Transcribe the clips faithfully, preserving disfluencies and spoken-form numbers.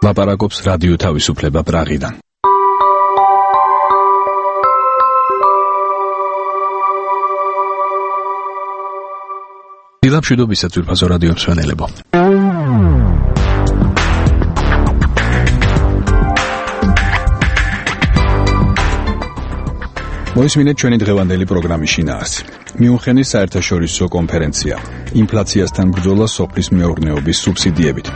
ლაპარაკობს რადიო თავისუფლება პრაღიდან. დილა მშვიდობისა ძვირფასო რადიო მსმენელებო. მოისმინეთ ჩვენი დღევანდელი პროგრამის შინაარსი. მიუნხენის საერთაშორისო კონფერენცია. ინფლაციასთან ბრძოლა სოფლის მეურნეობის სუბსიდიებით.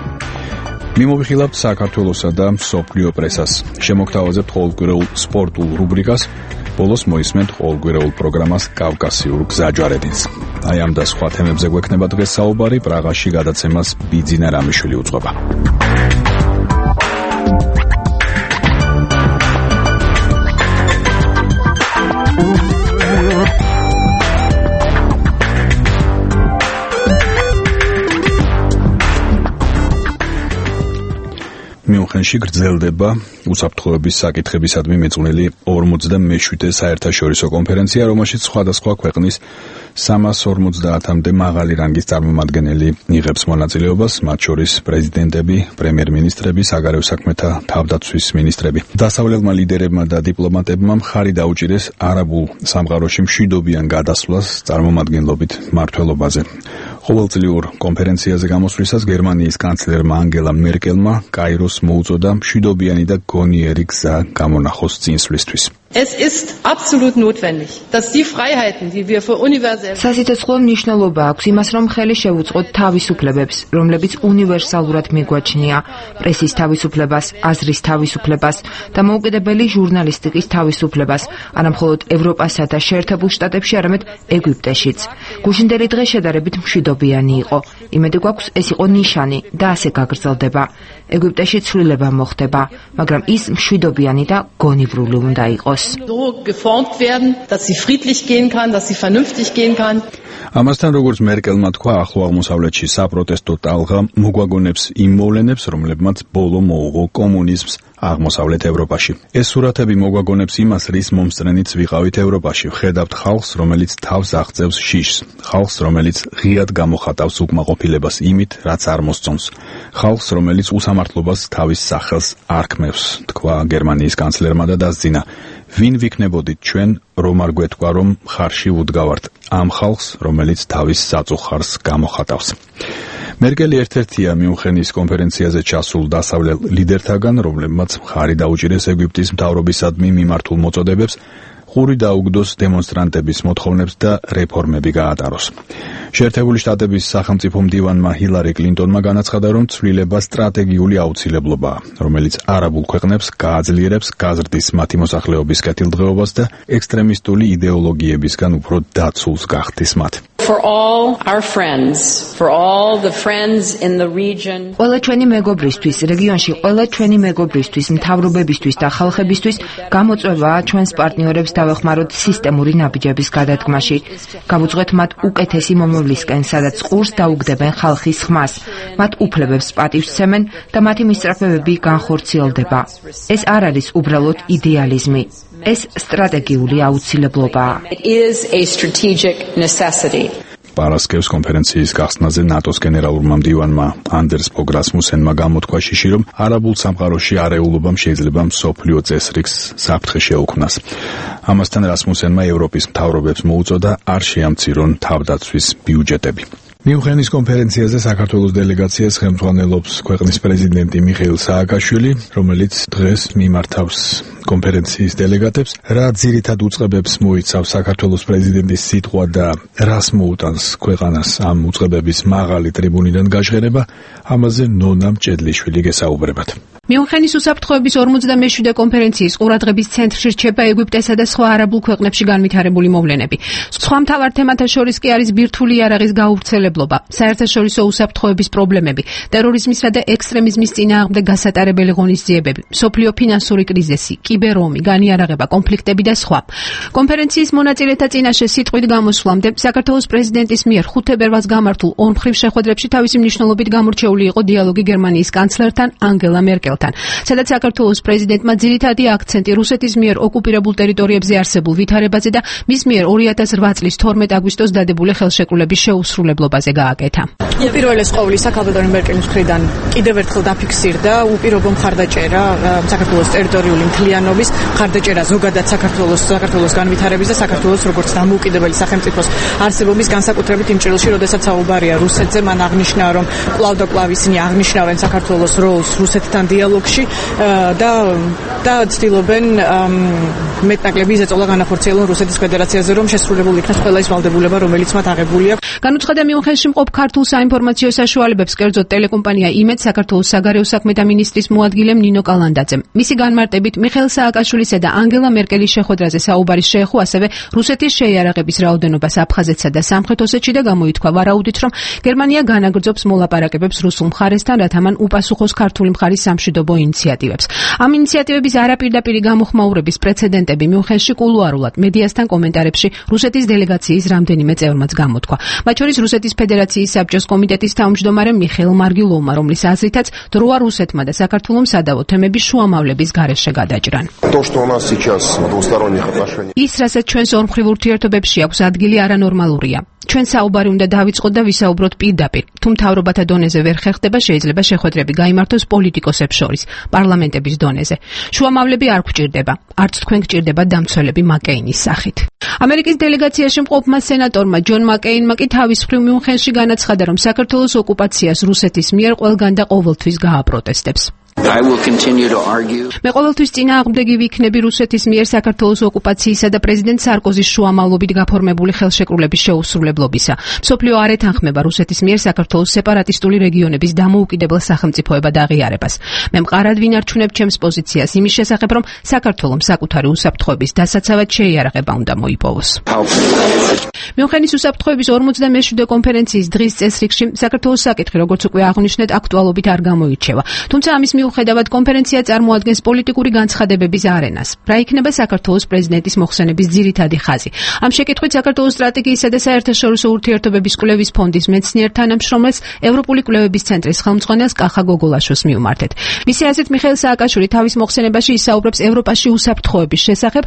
მიმოვიხილავთ საქართველოსა და მსოფლიო პრესას. შემოგთავაზებთ ყოველკვირეულ სპორტულ რუბრიკას. ბოლოს მოისმენთ ყოველკვირეულ პროგრამას კავკასიურ გზაჯვარედინს. აი ამ და სხვა თემებზე გვექნება დღეს საუბარი. პრაღაში გადაცემას ბიძინა რამიშვილი უძღვება. მიუნხენში გრძელდება უსაფრთხოების საკითხებისადმი მეწვნელი ორმოცდამეშვიდე საერთაშორისო კონფერენცია, რომელშიც სხვადასხვა ქვეყნის სამას ორმოცდაათამდე მაღალი რანგის წარმომადგენელი იღებს მონაწილეობას, მათ შორის პრეზიდენტები, პრემიერ-მინისტრები, საგარეო საქმეთა თავდაცვის მინისტრები. დასავლელმა ლიდერებმა და დიპლომატებმა მხარი დაუჭირეს არაბულ სამყაროში მშვიდობიან გადასვლას წარმომადგენლობით მმართველობაზე. ყოველწლიურ კონფერენციაზე გამოსვლისას გერმანიის კანცლერმა ანგელა მერკელმა კაიროს მოუწოდა მშვიდობიანი და გონიერი გზა გამონახოს წინსვლისთვის. Es ist absolut notwendig, dass die Freiheiten, die wir für universell სასიცოცხლო მნიშვნელობა აქვს იმას, რომ ხელი შევუწყოთ თავისუფლებებს, რომლებიც უნივერსალურად მიგვაჩნია, პრესის თავისუფლებას, აზრის თავისუფლებას და მოუკიდებელი ჟურნალისტიკის თავისუფლებას, არამხოლოდ ევროპასა და შეერთებულ შტატებში, არამედ ეგვიპტეშიც. გუშინდელი დღე შედარებით მშვიდობიანი იყო. იმედი გვაქვს, ეს იყო ნიშანი და ასე გაგრძელდება. ეგვიპტეში ცვლილება მოხდება, მაგრამ ის მშვიდობიანი და გონივრული უნდა იყოს. so geformt werden, dass sie friedlich gehen kann, dass sie vernünftig gehen kann. ამასთან როგორც მერკელმა თქვა, ახლო აღმოსავლეთში საპროტესტო ტალღა მოგვაგონებს იმ მოვლენებს, რომლებმაც ბოლო მოუღო კომუნიზმს აღმოსავლეთ ევროპაში. ეს სურათები მოგვაგონებს იმას, რის მომსწრენიც ვიყავით ევროპაში. ვხედავთ ხალხს, რომელიც თავს აღწევს შიშს, ხალხს, რომელიც ღიად გამოხატავს უკმაყოფილებას იმით, რაც არ მოსწონს, ხალხს, რომელიც უსამართლობას თავის სახელს არქმევს, თქვა გერმანიის კანცლერმა და დასძინა. ვინ ვიქნებოდით ჩვენ, რომ არ გვეთქვა, რომ მხარში ვუდგავართ ამ ხალხს, რომელიც თავის საწუხარს გამოხატავს. მერკელი ერთ-ერთია მიუნხენის კონფერენციაზე ჩასულ დასავლელ ლიდერთაგან, რომლებმაც მხარი დაუჭირეს ეგვიპტის მთავრობისადმი მიმართულ მოწოდებებს, ყური დაუგდოს დემონსტრანტების მოთხოვნებს და რეფორმები გაატაროს. შეერთებული შტატების სახელმწიფო მდივანმა ჰილარი კლინტონმა განაცხადა, რომ ცვლილება სტრატეგიული აუცილებლობაა, რომელიც არაბულ ქვეყნებს გააძლიერებს, გაზრდის მათი მოსახლეობის კეთილდღეობას და ექსტრემისტული იდეოლოგიებისგან უფრო დაცულს გახდის მათ. For all our friends, for all the friends in the region. ყველა ჩვენი მეგობრისთვის, რეგიონში ყველა ჩვენი მეგობრისთვის, მთავრობებისთვის და ხალხებისთვის გამოწვევაა ჩვენს პარტნიორებს დავეხმაროთ სისტემური ნაბიჯების გადადგმაში. გავუძღვეთ მათ უკეთესი მომავლისკენ, სადაც ყურს დაუგდებენ ხალხის ხმას, მათ უფლებებს პატივსცემენ და მათი მისწრაფებები განხორციელდება. ეს არ არის უბრალოდ იდეალიზმი. ეს სტრატეგიული აუცილებლობაა. It is a strategic necessity. პარასკევს კონფერენციის გახსნაზე ნატოს გენერალურმა მდივანმა ანდერს ფოგ რასმუსენმა გამოთქვა შიში, რომ არაბულ სამყაროში არეულობამ შეიძლება მსოფლიო წესრიგს საფრთხე შეუქმნას. ამასთან რასმუსენმა ევროპის მთავრობებს მოუწოდა არ შეამცირონ თავდაცვის ბიუჯეტები. მიუნხენის კონფერენციაზე საქართველოს დელეგაციას ხელმძღვანელობს ქვეყნის პრეზიდენტი მიხეილ სააკაშვილი, რომელიც დღეს მიმართავს კონფერენციის დელეგატებს. რა ძირითად უწყებებს მოიცავს საქართველოს პრეზიდენტის სიტყვა და რას მოუტანს ქვეყანას ამ უწყებების მაღალი ტრიბუნიდან გაჟღერება, ამაზე ნონა მჭედლიშვილი გესაუბრებათ. მიუნხენის უსაფრთხოების ორმოცდამეშვიდე კონფერენციის ყურადღების ცენტრში რჩება ეგვიპტესა და სხვა არაბულ ქვეყნებში განვითარებული მოვლენები. სხვა მთავარ თემათა შორის კი არის ბირთვული იარაღის გაავრცელებლობა, საერთაშორისო უსაფრთხოების პრობლემები, ტერორიზმისა და ექსტრემიზმის წინააღმდეგ გასატარებელი ღონისძიებები, მსოფლიო ფინანსური კრიზისი, კიბერომი, განიარაღება, კონფლიქტები და სხვა. კონფერენციის მონაწილეთა წინაშე სიტყვით გამოსვლამდე საქართველოს პრეზიდენტის მიერ ხუთი თებერვალს გამართულ ორმხრივ შეხვედრებში თავისი მნიშვნელობით გამორჩეული იყო დიალოგი გერმანიის კანცლერთან ანგელა მერკელთან. ხელთან, სადაც საქართველოს პრეზიდენტმა ძირითადი აქცენტი რუსეთის მიერ ოკუპირებულ ტერიტორიებზე არსებულ ვითარებაზე და მის მიერ ორი ათას რვა წლის თორმეტ აგვისტოს დადებული ხელშეკრულების შეუსრულებლობაზე გააკეთა. უპირველეს ყოვლისა ქალბატონი მერკელის მხრიდან კიდევ ერთხელ დაფიქსირდა უპირობო მხარდაჭერა საქართველოს ტერიტორიული მთლიანობის მხარდაჭერა ზოგადად საქართველოს საქართველოს განვითარების და საქართველოს როგორც დამოუკიდებელი სახელმწიფოს არსებობის განსაკუთრებით იმ ჭრილში, როდესაც საუბარია რუსეთზე, მან აღნიშნა, რომ კვლავ და კვლავ ისინი აღნიშნავენ საქართველოს როლს რუსეთთან დიალოგში და და ცდილობენ მეტნაკლები ზეწოლა განახორციელონ რუსეთის ფედერაციაზე, რომ შესრულებული იქნას ყველა ის ვალდებულება, რომელიც მათ აღებული აქვს. განუცხადა მიუნხენში მყოფ ქართულ საინფორმაციო საშუალებებს კერძოდ ტელეკომპანია იმედ საქართველოს საგარეო საქმეთა მინისტრის მოადგილემ ნინო კალანდაძემ. მისი განმარტებით მიხეილ სააკაშვილისა და ანგელა მერკელის შეხვედრაზე საუბარი შეეხო ასევე რუსეთის შეიარაღების რაოდენობას აფხაზეთსა და სამხრეთ ოსეთში და გამოითქვა ვარაუდით, რომ გერმანია განაგრძობს მოლაპარაკებებს რუსულ მხარესთან, რათა მან უპასუხოს ქართული მხარის სამშვიდობო ინიციატივებს. ამ ინიციატივების არაპირდაპირი გამოხმაურების პრეცედენტები მიუნხენში კულუარულად მედიასთან კომენტარებში რუსეთის დელეგაციის რამდენიმე წევრმაც გამოთქვა. მათ შორის რუსეთის ფედერაციის საბჭოს კომიტეტის თავმჯდომარე მიხეილ მარგილოვმა, რომლის აზრითაც დროა რუსეთმა და საქართველოს სადავო თემების შუამავლების გარეშე გადაჭრან. ის, რასაც ჩვენს ორმხრივ ურთიერთობებში აქვს ადგილი, არანორმალურია. ჩვენ საუბარი უნდა დავიწყოთ და ვისაუბროთ პირდაპირ. თუ მთავრობათა დონეზე ვერ ხერხდება, შეიძლება შეხვედრები გაიმართოს პოლიტიკოსებს შორის, პარლამენტების დონეზე. შუამავლები არ გვჭირდება, არც თქვენ გჭირდება დამცველები მაკეინის სახით. ამერიკის დელეგაციაში მყოფმა სენატორმა ჯონ მაკეინმა კი თავის მხრივ მიუნხენში განაცხადა, რომ საქართველოს ოკუპაციას რუსეთის მიერ ყველგან და ყოველთვის გააპროტესტებს. მე ყოველთვის წინააღმდეგი ვიქნები რუსეთის მიერ საქართველოს ოკუპაციისა და პრეზიდენტ სარკოზის შუამავლობით გაფორმებული ხელშეკრულების შეუსრულებლობისა. მსოფლიო არ ეთანხმება რუსეთის მიერ საქართველოს სეპარატისტული რეგიონების დამოუკიდებელ სახელმწიფოებად აღიარებას. მე მყარად ვინარჩუნებ ჩემს პოზიციას იმის შესახებ, რომ საქართველოს საკუთარი უსაფრთხოების დასაცავად შეიარაღება უნდა მოიპოვოს. მიუნხენის უსაფრთხოების ორმოცდამეშვიდე კონფერენციის დღის წესრიგში საქართველოს საკითხი, როგორც უკვე აღნიშნეთ, აქტუალობით არ გამოირჩევა. თუმცა ამის მიუხედავად კონფერენცია წარმოადგენს პოლიტიკური განცხადებების არენას. რა იქნება საქართველოს პრეზიდენტის მოხსენების ძირითადი ხაზი? ამ შეკითხვით საქართველოს სტრატეგიისა და საერთაშორისო ურთიერთობების კვლევის ფონდის მეცნიერ თანამშრომელს ევროპული კვლევების ცენტრის ხელმძღვანელს კახა გოგოლაშოს მივმართეთ. მისი აზრით მიხეილ სააკაშვილი თავის მოხსენებაში ისაუბრებს ევროპაში უსაფრთხოების შესახებ,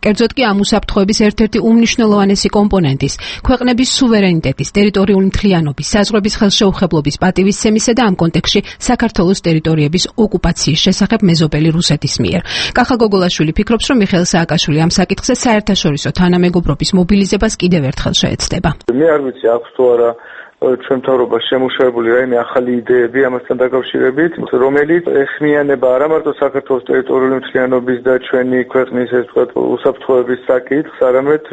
კერძოდ კი ამ უსაფრთხოების ერთ-ერთი უმნიშვნელოვანესი კომპონენტის, ქვეყნების სუვერენიტეტის, ტერიტორიული მთლიანობის, საზღვრების ხელშეუხებლობის პატივისცემისა და ამ კონტექსტში საქართველოს ტერიტორიების ოკუპაციის შესახებ მეზობელი რუსეთის მიერ. კახა გოგოლაშვილი ფიქრობს, რომ მიხეილ სააკაშვილი ამ საკითხზე საერთაშორისო თანამეგობრობის მობილიზებას კიდევ ერთხელ შეეცდება. მე არ ვიცი, აქვს თუ არა ჩვენ მთავრობაში შემუშავებული რაიმე ახალი იდეები ამასთან დაკავშირებით, რომელიც ეხმიანება არა მარტო საქართველოს ტერიტორიული მთლიანობის და ჩვენი ქვეყნის ეს თქვა უსაფრთხოების საკითხს, არამედ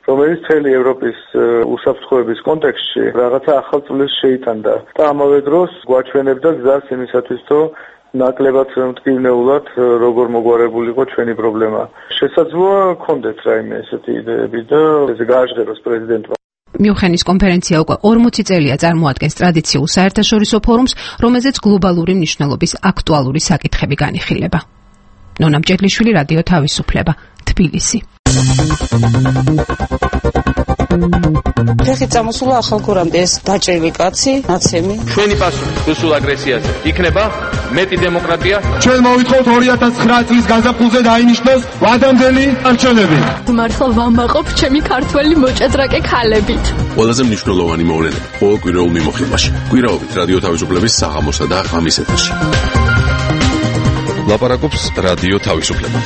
რომელიც მთელი ევროპის უსაფრთხოების კონტექსტში რაღაცა ახალ წვლილს შეიტანდა. და ამავე დროს გვაჩვენებდა გზას იმისათვის, რომ ნაკლებად მტკივნეულად როგორ მოგვარებულიყო ჩვენი პრობლემა. შესაძლოა გქონდეთ რაიმე ესეთი იდეები და ეს გააჟღეროს პრეზიდენტმა. მიუნხენის კონფერენცია უკვე ორმოცი წელია წარმოადგენს ტრადიციულ საერთაშორისო ფორუმს, რომელზეც გლობალური მნიშვნელობის აქტუალური საკითხები განიხილება. ნონა მჭედლიშვილი, რადიო თავისუფლება, თბილისი. ფეხით წამოსულა ახალგორამდე ეს დაჭრილი კაცი, ნაცემი. ჩვენი პასუხი რუსულ აგრესიაზე იქნება მეტი დემოკრატია. ჩვენ მოვითხოვთ ორი ათას ცხრა წლის გაზაფხულზე დაინიშნოს ვადამდელი არჩევნები. მართლა ვამაყობ ჩემი ქართველი მოჭადრაკე ქალებით. ყველაზე მნიშვნელოვანი მოვლენები ყოველ კვირაულ მიმოხილვაში. კვირაობით რადიო თავისუფლების საღამოსა და ღამის ეთერში. ლაპარაკობს რადიო თავისუფლება.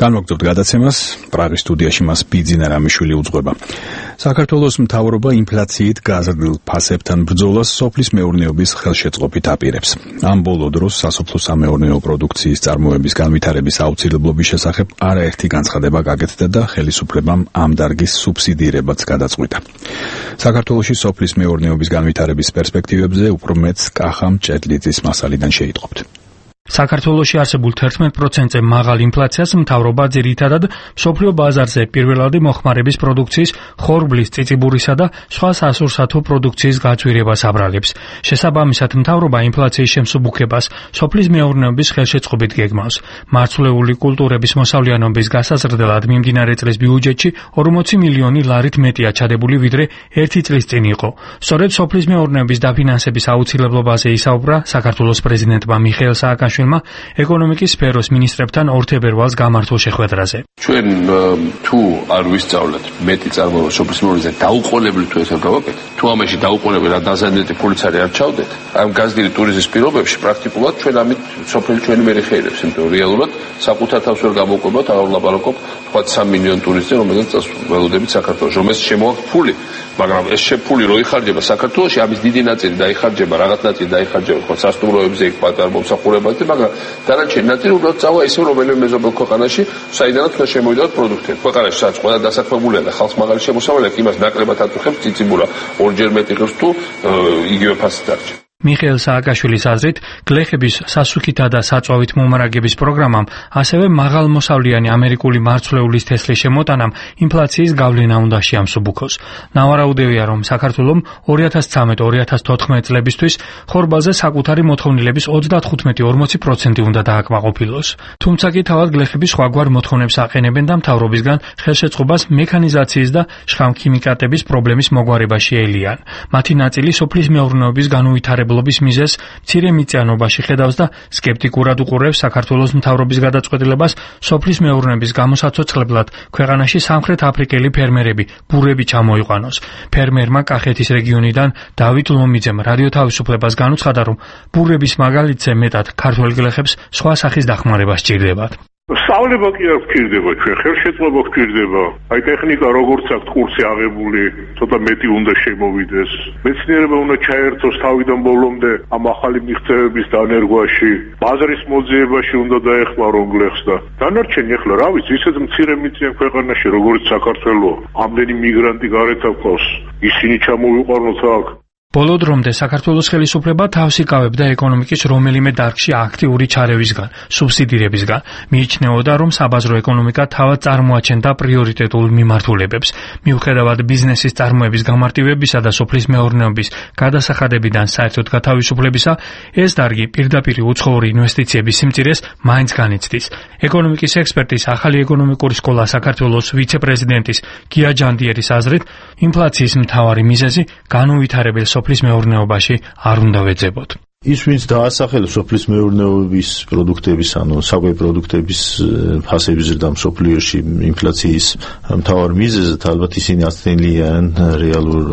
განვაგრძობთ გადაცემას, პრაღის სტუდიაში მას ბიძინა რამიშვილი უძღვება. საქართველოს მთავრობა ინფლაციით გაზრდილ ფასებთან ბრძოლას სოფლის მეურნეობის ხელშეწყობით აპირებს. ამ ბოლო დროს სასოფლო-სამეურნეო პროდუქციის წარმოების განვითარების აუცილებლობის შესახებ არაერთი განცხადება გაკეთდა და ხელისუფლებამ ამ დარგის სუბსიდირებაც გადაწყვიტა. საქართველოში სოფლის მეურნეობის განვითარების პერსპექტივებზე უფრო მეტს კახა მჭედლიძის მასალიდან შეიტყობთ. საქართველოში არსებულ თერთმეტ პროცენტზე მაღალ ინფლაციას მთავრობა ძირითადად მსოფლიო ბაზარზე პირველადი მოხმარების პროდუქციის, ხორბლის, წიწიბურისა და სხვა სასურსათო პროდუქციის გაძვირებას აბრალებს. შესაბამისად, მთავრობა ინფლაციის შემსუბუქებას სოფლის მეურნეობის ხელშეწყობით გეგმავს. მარცვლეული კულტურების მოსავლიანობის გასაზრდელად მიმდინარე წლის ბიუჯეტში ორმოცი მილიონი ლარით მეტია ჩადებული, ვიდრე ერთი წლის წინ იყო. სწორედ სოფლის მეურნეობის დაფინანსების აუცილებლობაზე ისაუბრა საქართველოს პრეზიდენტმა მიხეილ სააკაშვილმა ეკონომიკის სფეროს მინისტრებთან ორ თებერვალს გამართულ შეხვედრაზე. ჩვენ თუ არ ვისწავლეთ მეტი წარმოება სოფლის მეურნეობაზე დაუყოვნებლივ თუ ესე გავაკეთეთ, თუ ამაში დაუყოვნებლივ დაზიანებული პოლიცარი არ ჩავდეთ, ამ გაზრდილი ტურიზმის პირობებში პრაქტიკულად ჩვენ ამით სოფელი ჩვენი ვერ ეხეირებს, იმიტომ რომ რეალურად საკუთარ თავს ვერ გამოვკვებათ, არ ვლაპარაკობ თქვა სამი მილიონი ტურისტზე, რომელზეც ველოდებით საქართველოს, რომელს შემოაქვს ფული, მაგრამ ეს შეფული რო იხარჯება საქართველოში, ამის დიდი ნაწილი დაიხარჯება, რაღაც ნაწილი დაიხარჯება ხო სასტუმროებზე, იქ პატარ მომსახურებაზე, მაგრამ დანარჩენი ნაწილი უბრალოდ წავა ისე რომელიმე მეზობელ ქვეყანაში, საიდანაც უნდა შემოვიდოთ პროდუქტები. ქვეყანაში სადაც ყველა დასაქმებულია და ხალხს მაგარი შემოსავალი აქვს, იმას ნაკლებად აწუხებს წიწიბურა, ორჯერ მეტი ღირს თუ იგივე ფასით დარჩა. მიხეილ სააკაშვილის აზრით, გლეხების სასუქითა და საწვავით მომარაგების პროგრამამ, ასევე მაღალმოსავლიანი ამერიკული მარცვლეულის თესლის შემოტანამ ინფლაციის გავლენა უნდა შეამსუბუქოს. ნავარაუდევია, რომ საქართველომ ორი ათას ცხრამეტ ორი ათას თოთხმეტ წლებისთვის ხორბალზე საკუთარი მოთხოვნილების ოცდათხუთმეტი ორმოცი პროცენტი უნდა დააკმაყოფილოს. თუმცა კი თავად გლეხები სხვაგვარ მოთხოვნებს აყენებენ და მთავრობისგან ხელშეწყობას მექანიზაციის და შხამქიმიკატების პრობლემის მოგვარებაში ელიან. მათი ნაწილი სოფლის მეურნეობის განუვითარებლობის მიზეზს მცირე მიწიანობაში ხედავს და სკეპტიკურად უყურებს საქართველოს მთავრობის გადაწყვეტილებას სოფლის მეურნეობის გამოსაცოცხლებლად ქვეყანაში სამხრეთ აფრიკელი ფერმერები ბურები ჩამოიყვანოს. ფერმერმა კახეთის რეგიონიდან დავით ლომიძემ რადიო თავისუფლებას განუცხადა, რომ ბურების მაგალითზე მეტად ქართველ გლეხებს სხვა სახის დახმარება სჭირდებათ. სწავლება კი არ გვჭირდება, ჩვენ ხელშეწყობა გვჭირდება. აი ტექნიკა როგორც აქვს კურსი აღებული, ცოტა მეტი უნდა შემოვიდეს. მეცნიერება უნდა ჩაერთოს თავიდან ბოლომდე ამ ახალი მიღწევების დანერგვაში. ბაზრის მოძიებაში უნდა დაეხმარონ გლეხს და დანარჩენი ახლა რა ვიცი, ისეთ მცირე მიწიან ქვეყანაში, როგორც საქართველო, ამდენი მიგრანტი გარეთ აქვს, ისინი ჩამოვიყვანოთ აქ. ბოლო დრომდე საქართველოს ხელისუფლება თავს იკავებდა ეკონომიკის რომელიმე დარგში აქტიური ჩარევისგან, სუბსიდირებისგან. მიიჩნეოდა, რომ საბაზრო ეკონომიკა თავად წარმოაჩენდა პრიორიტეტულ მიმართულებებს. მიუხედავად ბიზნესის წარმოების გამარტივებისა და სოფლის მეურნეობის გადასახადებიდან საერთოდ გათავისუფლებისა, ეს დარგი პირდაპირ უცხოური ინვესტიციების სიმწირეს მაინც განიცდის. ეკონომიკის ექსპერტის ახალი ეკონომიკური სკოლა საქართველოს ვიცე-პრეზიდენტის გია ჯანდიერის აზრით, ინფლაციის მთავარი მიზეზი განუვითარებელ სოფლის მეურნეობაში არ უნდა ვეძებოთ. ის ვინც დაასახელებს სოფლის მეურნეობის პროდუქტების, ანუ საკვები პროდუქტების ფასების ზრდა მსოფლიოში ინფლაციის მთავარ მიზეზად, ალბათ ისინი აცდენლიან რეალურ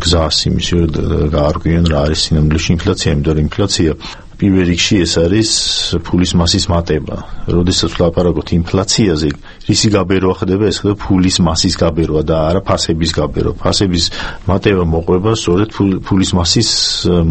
გზას იმის გაარკვიენ რა არის სინამდვილეში ინფლაცია, იმიტომ რომ ინფლაცია პირველ რიგში ეს არის ფულის მასის მატება. როდესაც ვლაპარაკობთ ინფლაციაზე, რისი გაბერვა ხდება, ეს ხდება ფულის მასის გაბერვა და არა ფასების გაბერვა. ფასების მატება მოყვება სწორედ ფულის მასის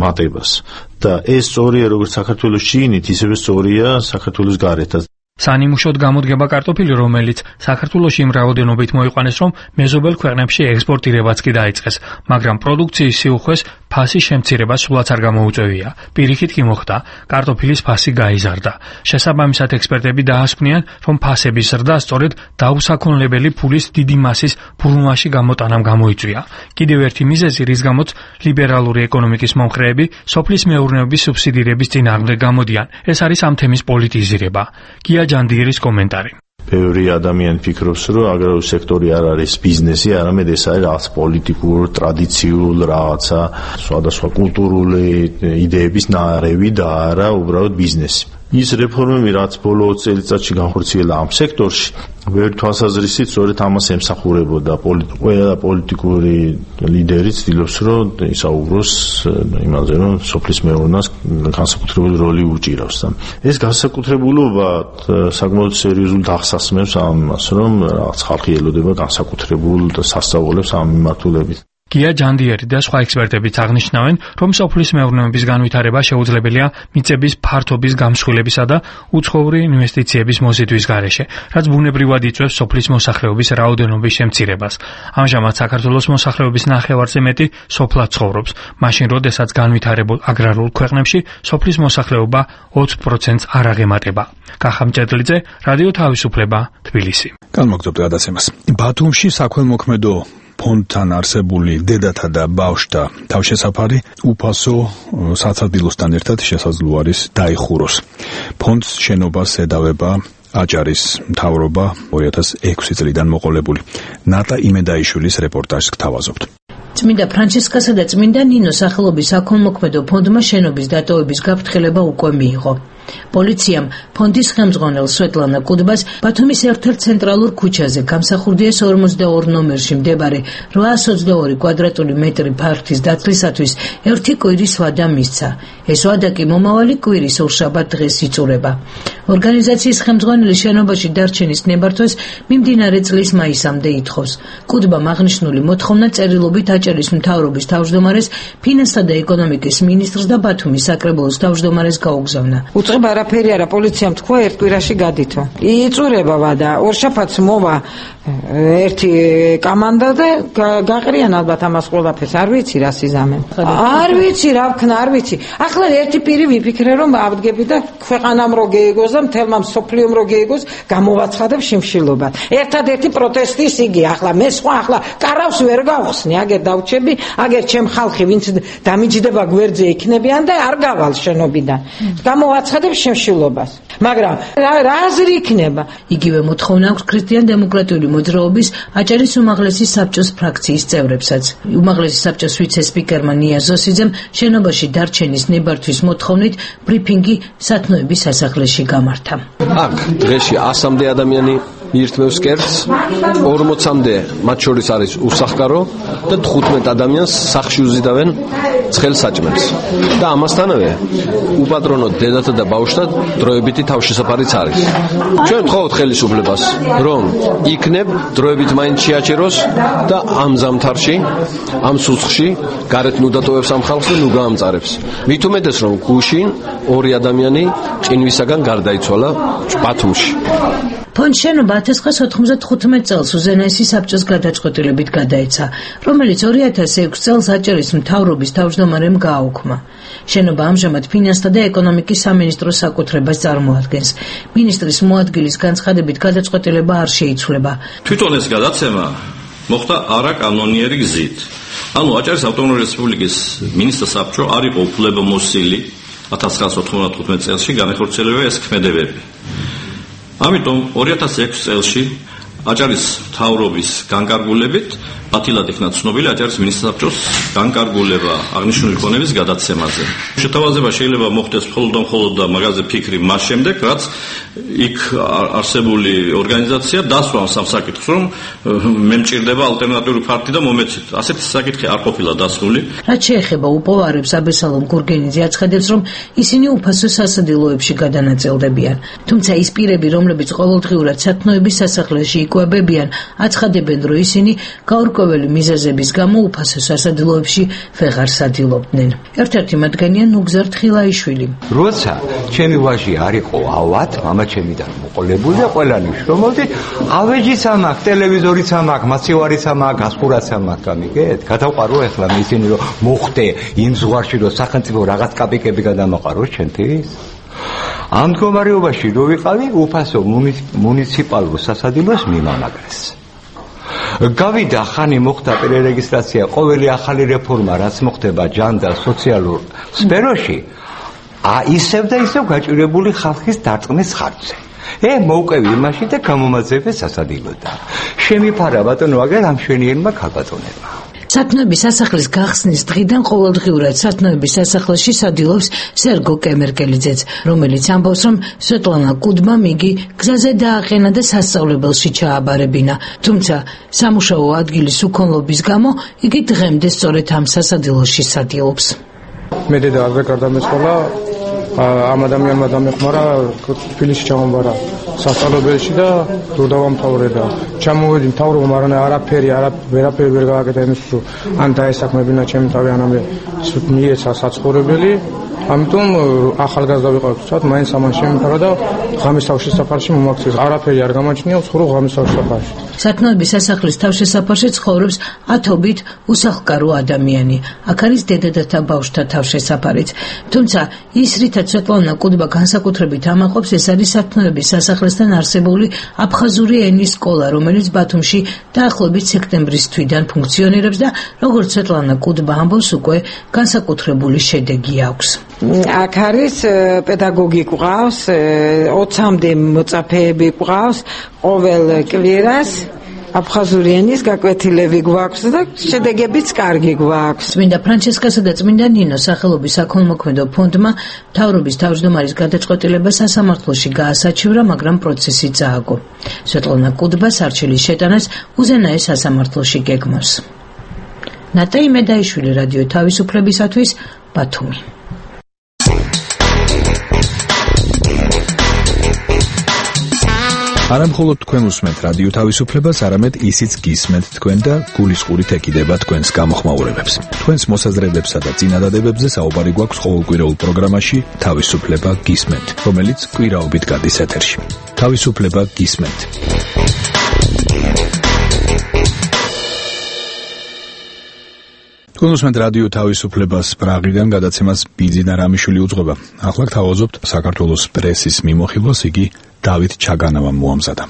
მატებას. და ეს სწორია როგორც საქართველოს შიგნით, ისევე სწორია საქართველოს გარეთაც. სანიმუშოდ გამოდგება კარტოფილი, რომელიც საქართველოში იმ რაოდენობით მოიყვანეს, რომ მეზობელ ქვეყნებში ექსპორტირებაც კი დაიწყეს, მაგრამ პროდუქციის სიუხვეს ფასის შემცირება სულაც არ გამოუწევია. პირიქით კი მოხდა, კარტოფილის ფასი გაიზარდა. შესაბამისად, ექსპერტები დაასკვნიან, რომ ფასების ზრდა სწორედ დაუსაქონლებელი ფულის დიდი მასის ბრუნვაში გამოტანამ გამოიწვია. კიდევ ერთი მიზეზი, რის გამოც ლიბერალური ეკონომიკის მომხრეები სოფლის მეურნეობის სუბსიდირების წინააღმდეგ გამოდიან, ეს არის ამ თემის პოლიტიზირება. გია ჯანდიერის კომენტარი. ბევრი ადამიანი ფიქრობს, რომ აგრარული სექტორი არ არის ბიზნესი, არამედ ეს არის რაღაც პოლიტიკურ, ტრადიციულ რაღაცა, სხვადასხვა კულტურული იდეების ნარევი და არა უბრალოდ ბიზნესი. ის რეფორმები, რაც ბოლო ოცი წელიწადში განხორციელა ამ სექტორში, ბევრი თვალსაზრისით სწორედ ამას ემსახურებოდა. ყველა პოლიტიკური ლიდერი ცდილობს, რომ ისაუბროს იმაზე, რომ სოფლის მეურნეობას განსაკუთრებული როლი უჭირავს. ეს განსაკუთრებულობა საკმაოდ სერიოზულ დახსასმებს ამას, რომ რაღაც ხალხი ელოდება განსაკუთრებულ სასწაულებს ამ მიმართულებით. გია ჯანდიერი და სხვა ექსპერტებიც აღნიშნავენ, რომ სოფლის მეურნეობის განვითარება შეუძლებელია მიწების ფართობის გამსხვილებისა და უცხოური ინვესტიციების მოზიდვის გარეშე, რაც ბუნებრივად იწვევს სოფლის მოსახლეობის რაოდენობის შემცირებას. ამჟამად საქართველოს მოსახლეობის ნახევარზე მეტი სოფლად ცხოვრობს, მაშინ როდესაც განვითარებულ აგრარულ ქვეყნებში სოფლის მოსახლეობა ოცი პროცენტს არ აღემატება. კახა მჭედლიძე, რადიო თავისუფლება, თბილისი. განმოგდობთ გადაცემას. ბათუმში საქველმოქმედო ფონდთან არსებული დედათა და ბავშვთა თავშესაფარი უფასო საცადილოსთან ერთად შესაძლო არის დაიხუროს. ფონდს შენობას ედავება აჭარის მთავრობა ორი ათას ექვსი წლიდან მოყოლებული. ნატა იმედაიშვილის რეპორტაჟს გთავაზობთ. წმინდა ფრანჩისკასა და წმინდა ნინოს სახელობის საქველმოქმედო ფონდმა შენობის დატოვების გაფრთხილება უკვე მიიღო. პოლიციამ ფონდის ხელმძღვანელ სვეტლანა კუდბას ბათუმის ერთ-ერთ ცენტრალურ ქუჩაზე გამსახურდიას ორმოცდაორი ნომერში მდებარე რვაას ოცდაორი კვადრატული მეტრი ფართის დაცლისათვის ერთი კვირის ვადა მისცა. ეს ვადა კი მომავალი კვირის ორშაბათ დღეს იწურება. ორგანიზაციის ხელმძღვანელი შენობაში დარჩენის ნებართვას მიმდინარე წლის მაისამდე ითხოვს. კუდბამ აღნიშნული მოთხოვნა წერილობით აჭარის მთავრობის თავმჯდომარეს, ფინანსთა და ეკონომიკის მინისტრს და ბათუმის საკრებულოს თავმჯდომარეს გაუგზავნა. უწყება არაფერი არა, პოლიციამ თქვა ერთ კვირაში გადითო. იწურება ვადა, ორშაბათს მოვა ერთი კამანდა და გაყრიან ალბათ ამას ყველაფერს. არ ვიცი რა სიზამენ. არ ვიცი რა ვქნა, არ ვიცი. ახლა ერთი პირი ვიფიქრე რომ ავდგები და ქვეყანამ რო გეიგოს და მთელმა მსოფლიომ რო გეიგოს, გამოვაცხადებ შიმშილობას. ერთადერთი პროტესტის იგი ახლა მე სხვა ახლა კარავს ვერ გავხსნი, აგერ დავჩები, აგერ ჩემ ხალხი ვინც დამიჯდება გვერდზე იქნებიან და არ გავალ შენობიდან. გამოვაცხადებ შიმშილობას. მაგრამ რა აზრი იქნება? იგივე მოთხოვნა აქვს ქრისტიან დემოკრატიული მოძრაობის აჭარის უმაღლესი საბჭოს ფრაქციის წევრებსაც. უმაღლესი საბჭოს ვიცე-სპიკერმა ნია ზოსიძემ შენობაში დარჩენის ნებართვის მოთხოვნით ბრიფინგი სათნოების სასახლეში გამართა. აქ დღეში ასამდე ადამიანი ირთმევს კერძს, ორმოცამდე მათ შორის არის უსახკარო და თხუთმეტ ადამიანს სახლში უზიდავენ ცხელ საჭმელს. და ამასთანავე უპატრონო დედათა და ბავშვთა დროებითი თავშესაფარიც არის. ჩვენ ვთხოვთ ხელისუფლებას, რომ იქნებ დროებით მაინც შეაჩეროს და ამ ზამთარში, ამ სუცხში გარეთ ნუ დატოვებს ამ ხალხს და ნუ გაამწარებს. მით უმეტეს რომ გუშინ ორი ადამიანი ყინვისაგან გარდაიცვალა ბათუმში. ფონდ შენობა ათას ცხრაას ოთხმოცდათხუთმეტ წელს უზენაესი საბჭოს გადაწყვეტილებით გადაეცა, რომელიც ორი ათას ექვსი წელს აჭარის მთავრობის თავმჯდომარემ გააუქმა. შენობა ამჟამად ფინანსთა და ეკონომიკის სამინისტროს საკუთრებას წარმოადგენს. მინისტრის მოადგილის განცხადებით გადაწყვეტილება არ შეიცვლება. თვითონ ეს გადაცემა მოხდა არაკანონიერი გზით. ანუ აჭარის ავტონომიური რესპუბლიკის მინისტრთა საბჭო არ იყო უფლებამოსილი ათას ცხრაას ოთხმოცდათხუთმეტ წელში განახორციელება ეს ქმედებები. ამიტომ ორი ათას ექვსი წელში აჭარის მთავრობის განკარგულებით ბათილად იქნა ცნობილი აჭარის მინისტრთა საბჭოს განკარგულება აღნიშნული ქონების გადაცემაზე. შეთავაზება შეიძლება მოხდეს მხოლოდ და მხოლოდ და მაგაზე ფიქრი მას შემდეგ, რაც იქ არსებული ორგანიზაცია დასვამს ამ საკითხს, რომ მე მჭირდება ალტერნატიული ფაქტი და მომეცით. ასეთი საკითხი არ ყოფილა დასრული. რაც შეეხება უპოვარებს, აბესალომ გურგენიძე აცხადებს, რომ ისინი უფასო სასადილოებში გადანაწილდებიან. თუმცა ის პირები, რომლებიც ყოველდღიურად სათნოების სასახლეში იკვებებიან, აცხადებენ, რომ ისინი გაურკვეველი მიზეზების გამო უფასო სასადილოებში ვეღარ სადილობდნენ. ერთ-ერთი მათგანია ნუგზარ თხილაიშვილი. როცა ჩემი ვაჟი არ იყო ავად, მამა ჩემიდან მოყოლებული და ყველანი შრომობდი, ავეჯიც ამაქვს, ტელევიზორიც ამაქვს, მაცივარიც ამაქვს, გასხურაც ამაქვს, გამიგეთ? გადავყარო ახლა ისინი რომ მოხდე იმ ზღვარში რომ სახელმწიფო რაღაც კაპიკები გადამაყარო ჩვენთვის? ამ მდგომარეობაში რო ვიყავი, უფასო მუნიციპალურ სასადილოს მიმამაგრეს. გავიდა ხანი მოხდა პერერეგისტრაცია, ყოველი ახალი რეფორმა რაც მოხდება ჯანდარ სოციალურ სფეროში, ა ისევ და ისევ გაჭირებული ხალხის დარწმუნის ხარჯზე. ე მოვყევი იმაში და გამომაძებე სასადილოდან. შემიფარა ბატონო აგერ ამ შვენიერმა ქალბატონებმა. სათნოების სასახლის გახსნის დღიდან ყოველდღიურად სათნოების სასახლეში სადილობს სერგო კემერკელიძეც, რომელიც ამბობს, რომ სვეტლანა კუდბამ იგი გზაზე დააყენა და სასწავლებელში ჩააბარებინა. თუმცა სამუშაო ადგილის უქონლობის გამო იგი დღემდე სწორედ ამ სასადილოში სადილობს. მე დედა არ გარდამეცვალა, ამ ადამიანმა დამეხმარა თბილისში ჩამომბარა. სასწავლებელში და დრო დავამთავრე და ჩამოვედი მთავრობამ, მაგრამ არაფერი, არაფერი ვერ გააკეთა იმის, ან დაესაქმებინა ჩემი თავი, ანამდე მიეცა საცხოვრებელი. ამიტომ ახალგაზრდა ვიყავ თვით, მაინც ამან შემიფარა და ღამის თავშესაფარში მომაქცეს. არაფერი არ გამაჩნია, ვცხოვრობ ღამის თავშესაფარში. სათნოების სასახლის თავშესაფარში ცხოვრობს ათობით უსახლკარო ადამიანი. აქ არის დედათა ბავშვთა თავშესაფარიც. თუმცა ის, რითაც სვეტლანა კუდბა განსაკუთრებით ამაყობს, ეს არის სათნოების სასახლესთან არსებული აფხაზური ენის სკოლა, რომელიც ბათუმში დაახლოებით სექტემბრის თვიდან ფუნქციონირებს და როგორც სვეტლანა კუდბა ამბობს, უკვე განსაკუთრებული შედეგი აქვს. აქ არის პედაგოგი გვყავს, ოცამდე მოწაფეები გვყავს, ყოველ კვირას აფხაზური ენის გაკვეთილები გვაქვს და შედეგებიც კარგი გვაქვს. წმინდა ფრანჩესკასა და წმინდა ნინოს სახელობის საქველმოქმედო ფონდმა მთავრობის თავმჯდომარის გადაწყვეტილება სასამართლოში გაასაჩივრა, მაგრამ პროცესი წააგო. სვეტლანა კუდბას არჩილის შეტანას უზენაეს სასამართლოში გეგმავს. ნატაი მედაიშვილი, რადიო თავისუფლებისათვის, ბათუმი. არა მხოლოდ თქვენ უსმენთ რადიო თავისუფლებას, არამედ ისიც გისმენთ თქვენ და გულისყურით ეკიდება თქვენს გამოხმაურებებს. თქვენს მოსაზრებებსა და წინადადებებზე საუბარი გვაქვს ყოველკვირეულ პროგრამაში თავისუფლება გისმენთ, რომელიც კვირაობით გადის ეთერში. თავისუფლება გისმენთ. თქვენ უსმენთ რადიო თავისუფლებას, პრაღიდან გადაცემას ბიძინა რამიშვილი უძღვება. ახლა გთავაზობთ საქართველოს პრესის მიმოხილვას, იგი დავით ჩაგანავამ მოამზადა.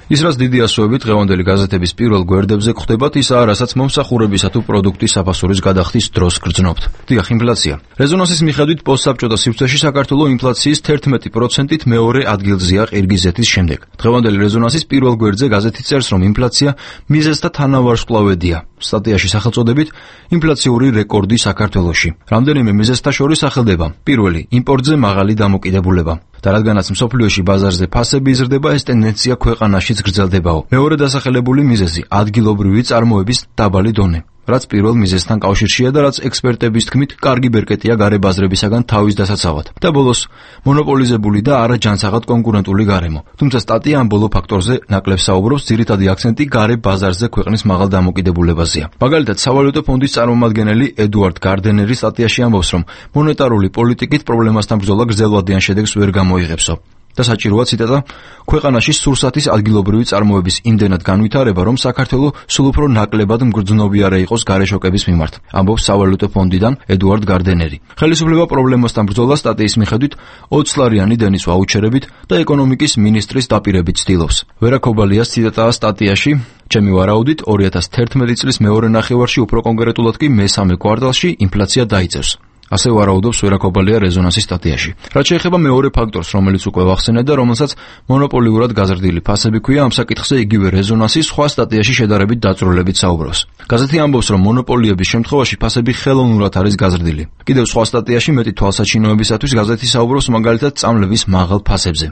ის რაც დიდი ასოებით დღევანდელი გაზეთების პირველ გვერდებზე გვხვდებათ, ისაა, რასაც მომსახურებისა თუ პროდუქტის საფასურის გადახდის დროს გრძნობთ. დიახ, ინფლაცია. რეზონანსის მიხედვით პოსტსაბჭოთა სივრცეში საქართველო ინფლაციის თერთმეტი პროცენტით მეორე ადგილზეა ყირგიზეთის შემდეგ. დღევანდელი რეზონანსის პირველ გვერდზე გაზეთი წერს, რომ ინფლაცია მიზეზთა თანავარსკვლავედია. სტატიაში სახელწოდებით ინფლაციური რეკორდი საქართველოში. რამდენიმე მიზეზთა შორის სახელდება. პირველი, იმპორტზე მაღალი დამოკიდებულება. და რადგანაც მსოფლიოში ბაზარზე ფასები იზრდება, ეს ტენდენცია ქვეყანაშიც გრძელდებაო. მეორე დასახელებული მიზეზი ადგილობრივი წარმოების დაბალი დონე, რაც პირველ მიზეზთან კავშირშია და რაც ექსპერტების თქმით კარგი ბერკეტია გარე ბაზრებისაგან თავის დასაცავად. და ბოლოს, მონოპოლიზებული და არაჯანსაღად კონკურენტული გარემო. თუმცა სტატია ამ ბოლო ფაქტორზე ნაკლებ საუბრობს, ძირითადი აქცენტი გარე ბაზარზე ქვეყნის მაღალ დამოკიდებულებაზეა. მაგალითად, სავალუტო ფონდის წარმომადგენელი ედუარდ გარდენერი სტატიაში ამბობს, რომ მონეტარული პოლიტიკით პრობლემასთან ბრძოლა გრძელვადიან შედეგს ვერ გამოიღებსო. და საჭიროა ციტატა, ქვეყანაში სურსათის ადგილობრივი წარმოების იმდენად განვითარება, რომ საქართველო სულ უფრო ნაკლებად მგრძნობიარე იყოს გარეშოკების მიმართ, ამბობს სავალუტო ფონდიდან ედუარდ გარდენერი. ხელისუფლება პრობლემასთან ბრძოლა სტატიის მიხედვით ოცლარიანი დენის ვაუჩერებით და ეკონომიკის მინისტრის დაპირებით ცდილობს. ვერა ქობალიას ციტატაა სტატიაში, ჩემი ვარაუდით ორი ათას თერთმეტი წლის მეორე ნახევარში, უფრო კონკრეტულად კი მესამე კვარტალში ინფლაცია დაიწევს. ასე ვარაუდობს ვერა ქობალია რეზონანსის სტატიაში. რაც შეეხება მეორე ფაქტორს, რომელიც უკვე ვახსენეთ და რომელსაც მონოპოლიურად გაზრდილი ფასები ქვია, ამ საკითხზე იგივე რეზონანსი სხვა სტატიაში შედარებით დაწვრილებით საუბრობს. გაზეთი ამბობს, რომ მონოპოლიების შემთხვევაში ფასები ხელოვნურად არის გაზრდილი. კიდევ სხვა სტატიაში მეტი თვალსაჩინოებისათვის გაზეთი საუბრობს მაგალითად წამლების მაღალ ფასებზე.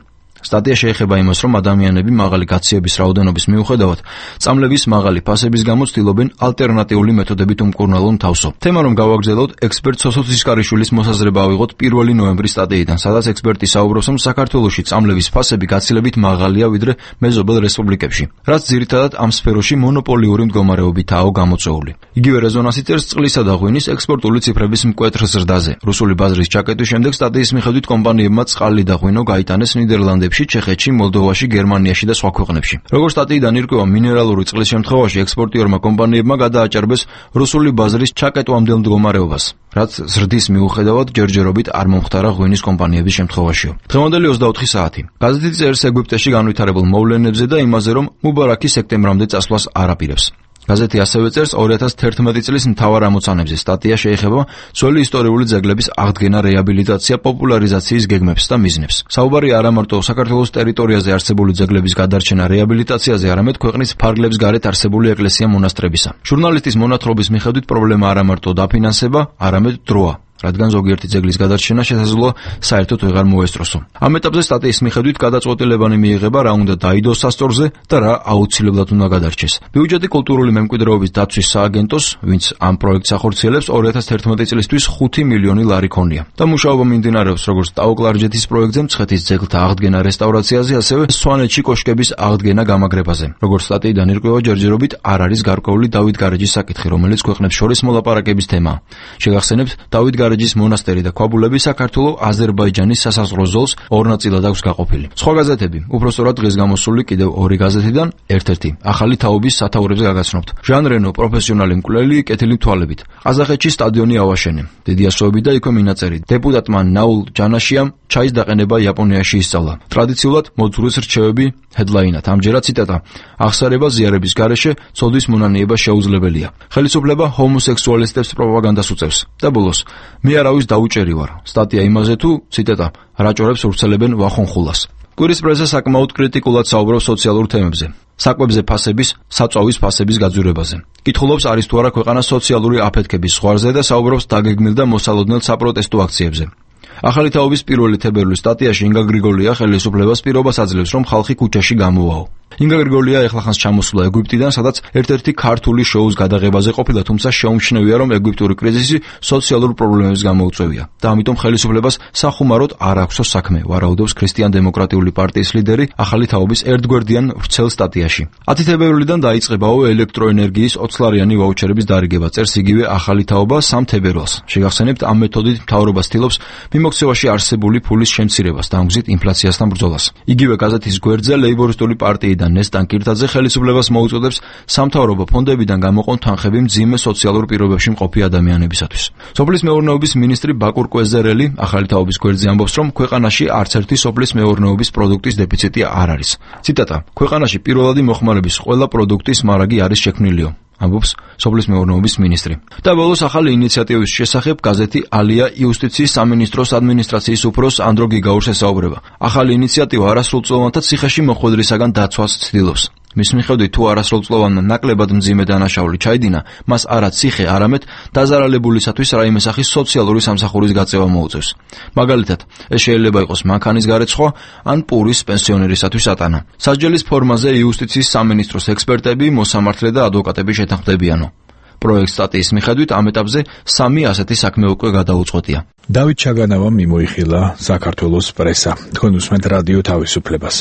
სტატია შეეხება იმას, რომ ადამიანები მაღალი გაციების რაოდენობის მიუხედავად წამლების მაღალი ფასების გამო ცდილობენ ალტერნატიული მეთოდებით უმკურნალონ თავსო. თემა რომ გავაგრძელოთ, ექსპერტ სოსო ცისკარიშვილის მოსაზრება ავიღოთ პირველი ნოემბრის სტატიიდან, სადაც ექსპერტი საუბრობს, რომ საქართველოში წამლების ფასები გაცილებით მაღალია ვიდრე მეზობელ რესპუბლიკებში, რაც ძირითადად ამ სფეროში მონოპოლიური მდგომარეობითაა გამოწვეული. იგივე რეზონანსი წერს წყლისა და ღვინის ექსპორტული ციფრების მკვეთრ ზრდაზე. რუსული ბაზრის ჩაკეტვის შემდეგ სტატიის მიხედვით კომპანიებმა წყალი და ღვინო გაიტანეს ნიდერლანდებში, ჩეხეთში, მოლდოვაში, გერმანიაში და სხვა ქვეყნებში. როგორც სტატიიდან ირკვევა, მინერალური წყლის შემთხვევაში ექსპორტიორმა კომპანიებმა გადააჭარბეს რუსული ბაზრის ჩაკეტვამდელ მდგომარეობას, რაც ზრდის მიუხედავად ჯერჯერობით არ მომხდარა ღვინის კომპანიების შემთხვევაშიო. დღევანდელი ოცდაოთხი საათი. გაზეთი წერს ეგვიპტეში განვითარებულ მოვლენებზე და იმაზე, რომ მუბარაკი სექტემბრამდე წასვლას არ აპირებს. გაზეთი ასევე წერს ორი ათას თერთმეტი წლის მთავარ ამოცანებზე. სტატია შეეხება ძველი ისტორიული ძეგლების აღდგენა, რეაბილიტაცია, პოპულარიზაციის გეგმებს და მიზნებს. საუბარი არა მარტო საქართველოს ტერიტორიაზე არსებული ძეგლების გადარჩენა, რეაბილიტაციაზე, არამედ ქვეყნის ფარგლებს გარეთ არსებული ეკლესია-მონასტრებისა. ჟურნალისტის მონათხრობის მიხედვით პრობლემა არა მარტო დაფინანსება, არამედ დროა. რადგან ზოგიერთი ძეგლის გადარჩენა შესაძლოა საერთოდ ვეღარ მოესწროსო. ამ ეტაპზე სტატიის მიხედვით გადაწყვეტილებანი მიიღება რა უნდა დაიდოს სასწორზე და რა აუცილებლად უნდა გადარჩეს. ბიუჯეტი კულტურული მემკვიდრეობის დაცვის სააგენტოს, ვინც ამ პროექტს ახორციელებს, ორი ათას თერთმეტი წლისთვის ხუთი მილიონი ლარი ქონია. და მუშაობა მიმდინარეობს როგორც ტაო-კლარჯეთის პროექტზე, მცხეთის ძეგლთა აღდგენა რესტავრაციაზე, ასევე სვანეთში კოშკების აღდგენა გამაგრებაზე. როგორც სტატიიდან ირკვევა, ჯერჯერობით არ არის გარკვეული დავით გარეჯის საკითხი, რომელიც ქვეყნებს შორის მოლაპარაკების თემაა. შეგახსენებთ, დავით გარეჯის მონასტერი და ქვაბულები საქართველო-აზერბაიჯანის სასაზღვრო ზოლს ორ ნაწილად აქვს გაყოფილი. სხვა გაზეთები, უпростоრად დღეს გამოსული კიდევ ორი გაზეთიდან, ერთ-ერთი ახალი თაობის სათაურებს გაგაცნობთ. ჟან რენო პროფესიონალი მკვლელი კეთილი თვალებით. ყაზახეთში სტადიონი ავაშენე. დიდი ასოები და იქვე მინაწერი. დეპუტატმა ნაულ ჯანაშიამ ჩაის დაყენება იაპონიაში ისწავლა. ტრადიციულად მოძღვრის რჩევები ჰედლაინად. ამჯერად ციტატა: აღსარება ზიარების გარეშე ცოდვის მონანიება შეუძლებელია. ხელისუფლება ჰომოსექსუალისტებს პროპაგანდას უწევს. და ბოლოს, მე არავის დაუჭერი ვარ. სტატია იმაზე თუ, ციტატა, რაჭორებს ვრცელებენ ვახონხულას. კვირის პრესა საკმაოდ კრიტიკულად საუბრობს სოციალურ თემებზე. საკვებზე ფასების, საწვავის ფასების გაძვირებაზე. კითხულობს არის თუ არა ქვეყანა სოციალური აფეთქების ზღვარზე და საუბრობს დაგეგმილ და მოსალოდნელ საპროტესტო აქციებზე. ახალი თაობის პირველი თებერვლის სტატიაში ინგა გრიგოლია ხელისუფლებას პირობას აძლევს, რომ ხალხი ქუჩაში გამოვაო. ინგა გრიგოლია ეხლახანს ჩამოსულა ეგვიპტიდან, სადაც ერთ-ერთი ქართული შოუს გადაღებაზე ყოფილა, თუმცა შეუმჩნევია, რომ ეგვიპტური კრიზისი სოციალურ პრობლემებს გამოუწვევია და ამიტომ ხელისუფლებას სახუმაროდ არ აქვსო საქმე, ვარაუდობს ქრისტიან-დემოკრატიული პარტიის ლიდერი ახალი თაობის ერთგვერდიან ვრცელ სტატიაში. ათი თებერვლიდან დაიწყებაო ელექტროენერგიის ოცლარიანი ვაუჩერების დარიგება, წერს იგივე ახალი თაობა სამ თებერვალს. შეგახსენებთ, ამ მეთოდით მთავრობა ცდილობს მიმოქცევაში არსებული ფულის შემცირებას და ამგვარად ინფლაციასთან ბრძოლას. იგივე გაზეთის გვერდზე ლეიბორისტული პარტიიდან ნესტან კირთაძე ხელისუფლებას მოუწოდებს სამთავრობო ფონდებიდან გამოყონ თანხები მძიმე სოციალურ პირობებში მყოფი ადამიანებისათვის. სოფლის მეურნეობის მინისტრი ბაკურ კვეზერელი ახალი თაობის გვერდზე ამბობს, რომ ქვეყანაში არც ერთი სოფლის მეურნეობის პროდუქტის დეფიციტი არ არის. ციტატა: ქვეყანაში პირველადი მოხმარების ყველა პროდუქტის მარაგი არის შექმნილიო. ამბობს სოფლის მეურნეობის მინისტრი. და ბოლოს ახალი ინიციატივის შესახებ გაზეთი ალია იუსტიციის სამინისტროს ადმინისტრაციის უფროს ანდრო გიგაურს ესაუბრება. ახალი ინიციატივა არასრულწლოვანთა ციხეში მოხვედრისაგან დაცვას ცდილობს. მის მიხედვით, თუ არასრულწლოვანმა ნაკლებად მძიმე დანაშაული ჩაიდინა, მას არა ციხე, არამედ დაზარალებულისათვის რაიმე სახის სოციალური სამსახურის გაწევა მოუწევს. მაგალითად, ეს შეიძლება იყოს მანქანის გარეცხვა ან პურის პენსიონერისათვის ატანა. სასჯელის ფორმაზე იუსტიციის სამინისტროს ექსპერტები, მოსამართლე და ადვოკატები შეთანხმდებიანო. პროექტ სტატიის მიხედვით ამ ეტაპზე სამი ასეთი საქმე უკვე გადაუწყვეტია. დავით ჩაგანავამ მიმოიხილა საქართველოს პრესა. თქვენ უსმენთ რადიო თავისუფლებას.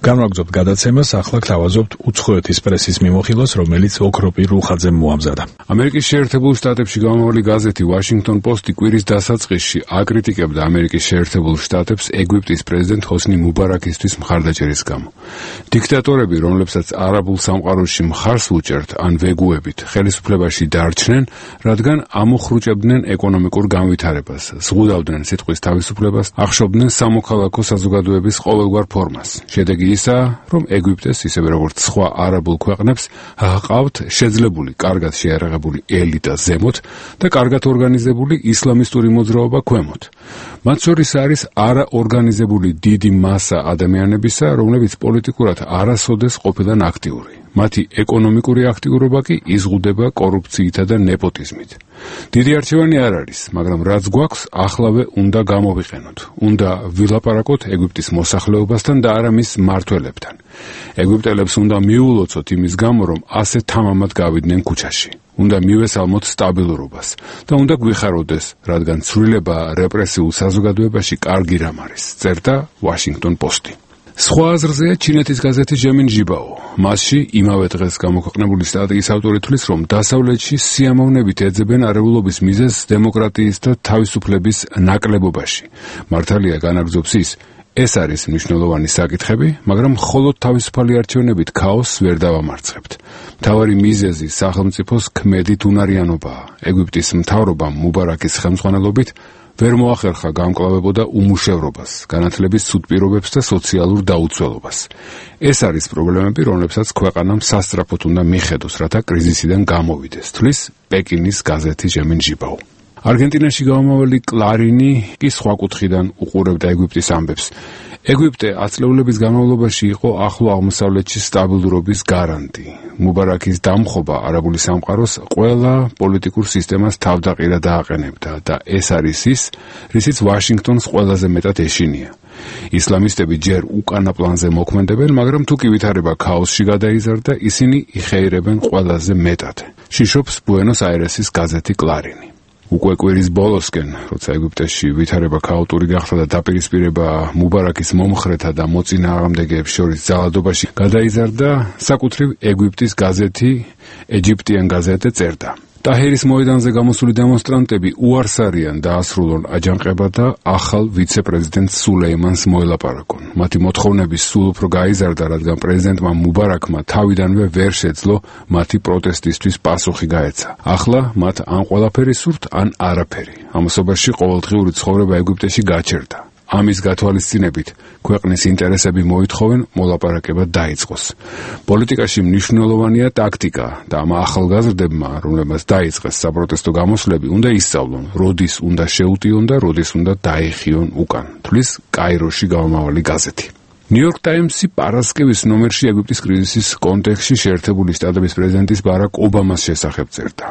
განვაგრძობთ გადაცემას, ახლა გთავაზობთ უცხოეთის პრესის მიმოხილვას, რომელიც ოქროპი რუხაძემ მოამზადა. ამერიკის შეერთებულ შტატებში გამომავალი გაზეთი Washington Post-ი კვირის დასაწყისში აკრიტიკებდა ამერიკის შეერთებულ შტატებს ეგვიპტის პრეზიდენტ ჰოსნი მუბარაკისთვის მხარდაჭერის გამო. დიქტატორები, რომლებსაც არაბულ სამყაროში მხარს უჭერთ ან ვეგუებით, ხელისუფლებაში დარჩნენ, რადგან ამოხრუჭებდნენ ეკონომიკურ განვითარებას, ზღუდავდნენ სიტყვის თავისუფლებას, ახშობდნენ სამოქალაქო საზოგადოების ყოველგვარ ფორმას. შედეგი ისა, რომ ეგვიპტეს, ისევე როგორც სხვა არაბულ ქვეყნებს, ჰყავთ შეძლებული, კარგად შეიარაღებული ელიტა ზემოთ და კარგად ორგანიზებული ისლამისტური მოძრაობა ქვემოთ. მათ შორის არის არაორგანიზებული დიდი მასა ადამიანებისა, რომლებიც პოლიტიკურად არასოდეს ყოფილან აქტიური. მათი ეკონომიკური აქტიურობა კი იზღუდება კორუფციითა და ნეპოტიზმით. დიდი არჩევანი არ არის, მაგრამ რაც გვაქვს, ახლავე უნდა გამოვიყენოთ. უნდა ვილაპარაკოთ ეგვიპტის მოსახლეობასთან და არა მის მმართველებთან. ეგვიპტელებს უნდა მიულოცოთ იმის გამო, რომ ასე თამამად გავიდნენ ქუჩაში. უნდა მივესალმოთ სტაბილურობას და უნდა გვიხაროდეს, რადგან ცვლილება რეპრესიულ საზოგადოებაში კარგი რამ არის, წერდა Washington Post-ი. სხვა აზრზეა ჩინეთის გაზეთი ჟემინ ჟიბაო. მასში იმავე დღეს გამოქვეყნებული სტატიის ავტორი თვლის, რომ დასავლეთში სიამოვნებით ეძებენ არეულობის მიზეზს დემოკრატიის და თავისუფლების ნაკლებობაში. მართალია განაგრძობს ის, ეს არის მნიშვნელოვანი საკითხები, მაგრამ მხოლოდ თავისუფალი არჩევნებით ქაოსს ვერ დავამარცხებთ. მთავარი მიზეზი სახელმწიფოს ქმედით უნარიანობაა. ეგვიპტის მთავრობამ მუბარაკის ხელმძღვანელობით ვერ მოახერხა გამკლავებოდა უმუშევრობას, განათლების ცუდ პირობებს და სოციალურ დაუცველობას. ეს არის პრობლემები, რომლებსაც ქვეყანამ სასწრაფოდ უნდა მიხედოს, რათა კრიზისიდან გამოვიდეს, თვლის პეკინის გაზეთი ჟემინ ჟიბაო. არგენტინაში გამომავალი კლარინი კი სხვა კუთხიდან უყურებდა ეგვიპტის ამბებს. ეგვიპტე ათწლეულების განმავლობაში იყო ახლო აღმოსავლეთში სტაბილურობის გარანტი. მუბარაკის დამხობა არაბული სამყაროს ყველა პოლიტიკურ სისტემას თავდაყირა დააყენებდა და ეს არის ის, რისიც ვაშინგტონს ყველაზე მეტად ეშინია. ისლამისტები ჯერ უკანა პლანზე მოქმედებენ, მაგრამ თუ კი ვითარება ქაოსში გადაიზარდა, ისინი იხეირებენ ყველაზე მეტად. შიშობს ბუენოს-აირესის გაზეთი კლარინი. უკვე კვირის ბოლოსკენ, როცა ეგვიპტეში ვითარება ქაოტური გახდა და დაპირისპირება მუბარაკის მომხრეთა და მოწინააღმდეგეებს შორის ძალადობაში გადაიზარდა, საკუთრივ ეგვიპტის გაზეთი ეჯიპტიან გაზეტე წერდა. ტაჰირის მოედანზე გამოსული დემონსტრანტები უარს არიან დაასრულონ აჯანყება და ახალ ვიცე-პრეზიდენტ სულეიმანს მოელაპარაკონ. მათი მოთხოვნების სულ უფრო გაიზარდა, რადგან პრეზიდენტმა მუბარაკმა თავიდანვე ვერ შეძლო მათი პროტესტისთვის პასუხი გაეცა. ახლა მათ ან ყველაფერი სურთ, ან არაფერი. ამასობაში ყოველდღიური ცხოვრება ეგვიპტეში გაჩერდა. ამის გათვალისწინებით ქვეყნის ინტერესები მოითხოვენ მოლაპარაკება დაიწყოს. პოლიტიკაში მნიშვნელოვანია ტაქტიკა და ამ ახალგაზრდებმა, რომლებმაც დაიწყეს საპროტესტო გამოსვლები, უნდა ისწავლონ, როდის უნდა შეუტიონ და როდის უნდა დაიხიონ უკან. თვლის კაიროში გამომავალი გაზეთი. ნიუ-იორკ ტაიმსი პარასკევის ნომერში ეგვიპტის კრიზისის კონტექსტში შეერთებული შტატების პრეზიდენტის ბარაკ ობამას შესახებ წერდა.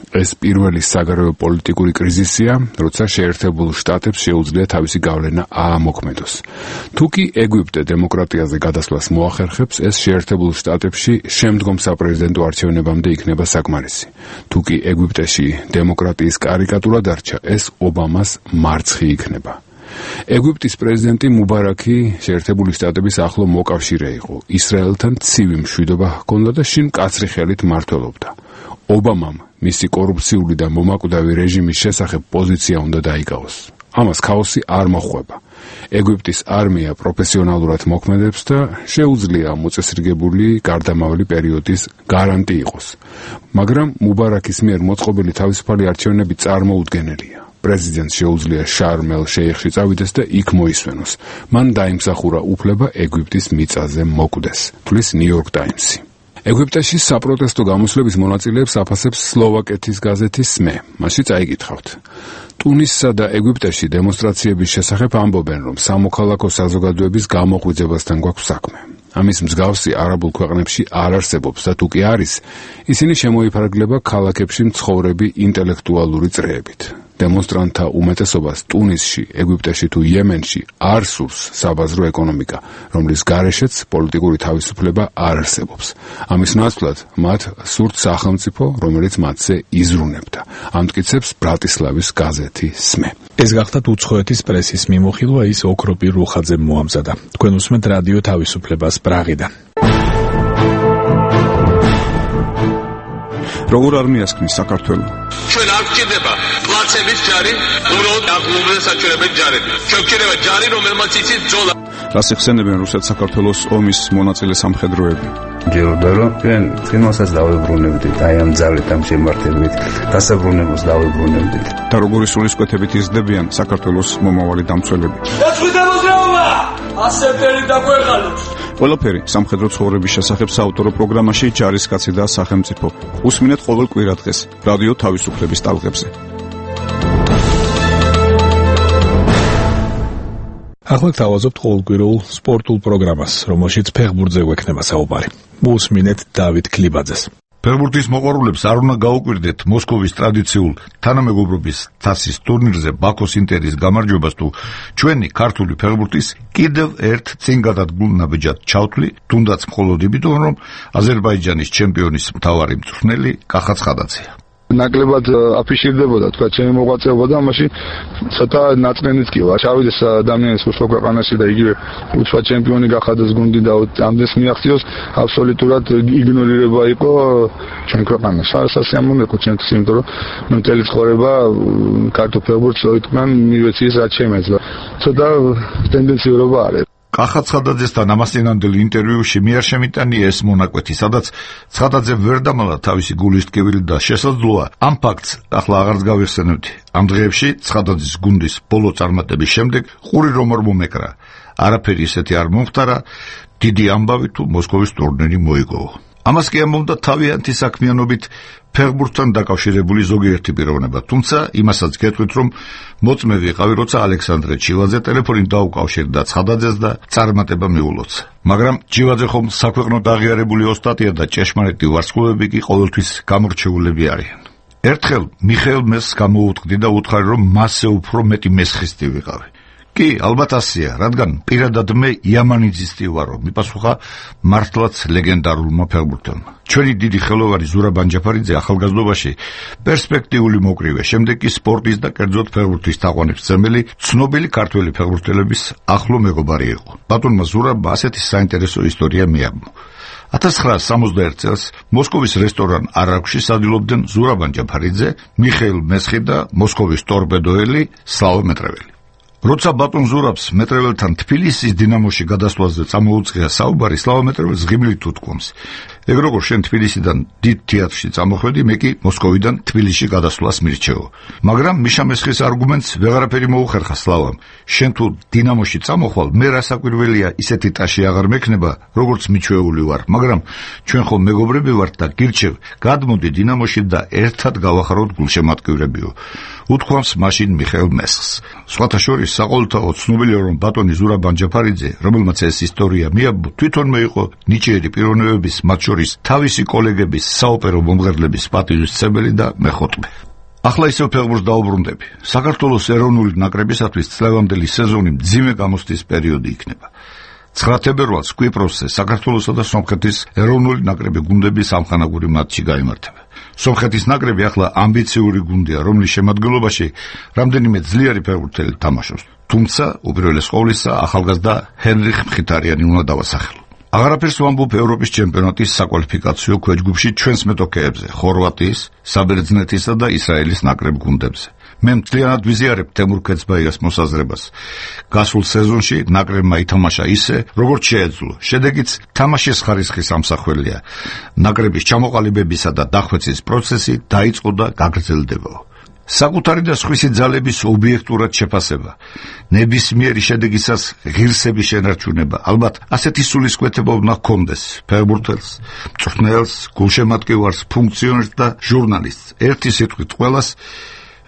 ეს პირველი საგარეო პოლიტიკური კრიზისია, როცა შეერთებულ შტატებს შეუძლია თავისი გავლენა აამოქმედოს. თუკი ეგვიპტე დემოკრატიაზე გადასვლას მოახერხებს, ეს შეერთებულ შტატებში შემდგომ საპრეზიდენტო არჩევნებამდე იქნება საკმარისი. თუკი ეგვიპტეში დემოკრატიის კარიკატურა დარჩა, ეს ობამას მარცხი იქნება. ეგვიპტის პრეზიდენტი მუბარაკი შეერთებული შტატების ახლო მოკავშირე იყო. ისრაელთან ცივი მშვიდობა ჰქონდა და შინ მკაცრი ხელით მმართველობდა. ობამამ მისი კორუფციული და მომაკვდავი რეჟიმის შესახებ პოზიცია უნდა დაიკავოს. ამას ქაოსი არ მოხვება. ეგვიპტის არმია პროფესიონალურად მოქმედებს და შეუძლია მოწესრიგებული გარდამავალი პერიოდის გარანტი იყოს. მაგრამ მუბარაკის მიერ მოწყობილი თავისუფალი არჩევნები წარმოუდგენელია. პრეზიდენტს შეუძლია შარმ ელ-შეიხში წავიდეს და იქ მოისვენოს. მან დაიმსახურა უფლება ეგვიპტის მიწაზე მოკვდეს, თვლის ნიუ-იორკ ტაიმსი. ეგვიპტეში საპროტესტო გამოსვლების მონაწილეებს აფასებს სლოვაკეთის გაზეთი სმე. მასში წაიკითხავთ. ტუნისსა და ეგვიპტეში დემონსტრაციების შესახებ ამბობენ, რომ სამოქალაქო საზოგადოების გამოღვიძებასთან გვაქვს საქმე. ამის მსგავსი არაბულ ქვეყნებში არ არსებობს და თუ კი არის, ისინი შემოიფარგლება ქალაქებში მცხოვრები ინტელექტუალური წრეებით. დემონსტრანტთა უმეტესობას ტუნისში, ეგვიპტეში თუ იემენში არ სურს საბაზრო ეკონომიკა, რომლის გარეშეც პოლიტიკური თავისუფლება არ არსებობს. ამის ნაცვლად მათ სურთ სახელმწიფო, რომელიც მათზე იზრუნებდა. ამტკიცებს ბრატისლავის გაზეთი სმე. ეს გახდათ უცხოეთის პრესის მიმოხილვა, ის ოქროპი რუხაძემ მოამზადა. თქვენ უსმენთ რადიო თავისუფლებას პრაღიდან. როგორ არ მიასხნის საქართველო? ჩვენ არ გვჭირდება პლაცების ჯარი, უბრალოდ აღლუმრდა საჩვენებელი ჯარები. ჩვენ გვჭირდება ჯარი, რომელმაც იცის ბრძოლა. რას იხსენებენ რუსეთ-საქართველოს ომის მონაწილე სამხედროები? ჯეროდა რომ ჩვენ წინასაც დავებრუნებდით, აი ამ ძალით, ამ შემართებით, დასაბრუნებულს დავებრუნებდით. და როგორი სულისკვეთებით იზრდებიან საქართველოს მომავალი დამცველები? ეცვიდა მოძრაობა! ასეთერი დაგვეღალოს. ყველაფერი სამხედრო ცხოვრების შესახებ საავტორო პროგრამაში ჯარისკაცი და სახელმწიფო. უსმინეთ ყოველ კვირადღეს რადიო თავისუფლების ტალღებზე. ახლა თავაზობთ ყოველკვირეულ სპორტულ პროგრამას, რომელშიც ფეხბურთზე გვექნება საუბარი. უსმინეთ დავით ქლიბაძეს. ფეხბურთის მოყვარულებს არ უნდა გაუკვირდეთ მოსკოვის ტრადიციულ თანამეგობრობის თასის ტურნირზე ბაქოს ინტერის გამარჯვებას თუ ჩვენი ქართული ფეხბურთის კიდევ ერთ წინგადადგმულ ნაბიჯად ჩავთვლი, თუნდაც მხოლოდ იმიტომ, რომ აზერბაიჯანის ჩემპიონის მთავარი მწვრთნელი კახა ცხადაძეა. ნაკლებად აფიშირდებოდა თქვა ჩემი მოღვაწეობა და მაშინ ცოტა ნაწყენიც კი ვარ. ჩავიდეს ადამიანის უშუალო ქვეყანაში და იგივე უცხო ჩემპიონი გახადოს გუნდი და ამდენს მიაღწიოს, აბსოლუტურად იგნორირება იყო ჩვენ ქვეყანაში. სასიამოვნო იყო ჩემთვის, იმიტომ რომ მე მთელი ცხოვრება ქართულ ფეხბურთს ოიტკმან მივეციის რაც შემეძლო. ცოტა ტენდენციურობა არის. კახა ცხადაძესთან ამასწინანდელ ინტერვიუში მე არ შემიტანია ეს მონაკვეთი, სადაც ცხადაძე ვერ დამალა თავისი გულის ტკივილი და შესაძლოა ამ ფაქტს ახლა აღარც გავიხსენებდი. ამ დღეებში ცხადაძის გუნდის ბოლო წარმატების შემდეგ ყური რომ არ მომეკრა, არაფერი ისეთი არ მომხდარა, დიდი ამბავი თუ მოსკოვის ტურნირი მოიგო. ამას კი ამბობდა თავიანთი საქმიანობით ფეხბურთთან დაკავშირებული ზოგიერთი პიროვნება, თუმცა იმასაც გეტყვით, რომ მოწმე ვიყავი, როცა ალექსანდრე ჩილაძე ტელეფონით დაუკავშირდა ცხადაძეს და წარმატება მიულოცა. მაგრამ ჩილაძე ხომ საქვეყნოდ აღიარებული ოსტატია და ჭეშმარიტი ვარსკვლავები კი ყოველთვის გამორჩეულები არიან. ერთხელ მიხეილ მესხს გამოუტყდი და უთხარი, რომ მასზე უფრო მეტი მესხისტი ვიყავი. კი, ალბათ ასია, რადგან პირადად მე იამანიძისტი ვარო, მიპასუხა მართლაც ლეგენდარულმა ფეხბურთელმა. ჩვენი დიდი ხელოვანი ზურაბ ანჯაფარიძე ახალგაზრდობაში პერსპექტიული მოკრივე, შემდეგ კი სპორტის და კერძოდ ფეხბურთის თაყვანისმცემელი, ცნობილი ქართველი ფეხბურთელების ახლო მეგობარი იყო. ბატონმა ზურაბმა ასეთი საინტერესო ისტორია მიაბმო. ათას ცხრაასი სამოცდაერთი წელს მოსკოვის რესტორან არაგვში სადილობდნენ ზურაბ ანჯაფარიძე, მიხეილ მესხი და მოსკოვის ტორპედოელი სლავა მეტრეველი. როცა ბატონ ზურაბს მეტრეველთან თბილისის დინამოში გადასვლაზე წამოუწყია საუბარი, სლავა მეტრეველს ღიმილით უთქვამს: ეგ როგორ შენ თბილისიდან დიდ თეატრში წამოხვედი, მე კი მოსკოვიდან თბილისში გადასვლას მირჩევო. მაგრამ მიშა მესხის არგუმენტს ვეღარაფერი მოუხერხა სლავამ. შენ თუ დინამოში წამოხვალ, მე რასაკვირველია ისეთი ტაში აღარ მექნება, როგორც მიჩვეული ვარ, მაგრამ ჩვენ ხომ მეგობრები ვართ და გირჩევ, გადმოდი დინამოში და ერთად გავახაროთ გულშემატკივრებიო. უთქვამს მაშინ მიხეილ მესხს. სხვათა შორის საყოველთაოდ ცნობილია, რომ ბატონი ზურაბ ანჯაფარიძე, რომელმაც ეს ისტორია მიაბო, თვითონმე იყო ნიჭიერი პიროვნებების, მათ შორის თავისი კოლეგების, საოპერო მომღერლების პატივისცემელი და მეხოტბე. ახლა ისევ ფეხბურთს დაუბრუნდები. საქართველოს ეროვნული ნაკრებისათვის წლევანდელი სეზონი მძიმე გამოსვლის პერიოდი იქნება. ცხრა თებერვალს კვიპროსზე საქართველოსა და სომხეთის ეროვნული ნაკრები გუნდების ამხანაგური მატჩი გაიმართება. სომხეთის ნაკრები ახლა ამბიციური გუნდია, რომლის შემადგენლობაში რამდენიმე ძლიერი ფეხბურთელი თამაშობს. თუმცა უპირველეს ყოვლისა ახალგაზრდა ჰენრიხ მხითარიანი უნდა დავასახელო. აღარაფერს ვამბობ ევროპის ჩემპიონატის საკვალიფიკაციო ქვეჯგუფში ჩვენს მეტოქეებზე, ხორვატიის, საბერძნეთისა და ისრაელის ნაკრებ გუნდებზე. მე მთლიანად ვიზიარებ თემურ ქეცბაიას მოსაზრებას. გასულ სეზონში ნაკრებმა ითამაშა ისე, როგორც შეეძლო. შედეგიც თამაშის ხარისხის ამსახველია. ნაკრების ჩამოყალიბებისა და დახვეწის პროცესი დაიწყო და გაგრძელდება. საკუთარი და სხვისი ძალების ობიექტურად შეფასება, ნებისმიერი შედეგისას ღირსების შენარჩუნება, ალბათ ასეთი სულისკვეთება უნდა ჰქონდეს ფეხბურთელს, მწვრთნელს, გულშემატკივარს, ფუნქციონერს და ჟურნალისტს. ერთი სიტყვით ყველას,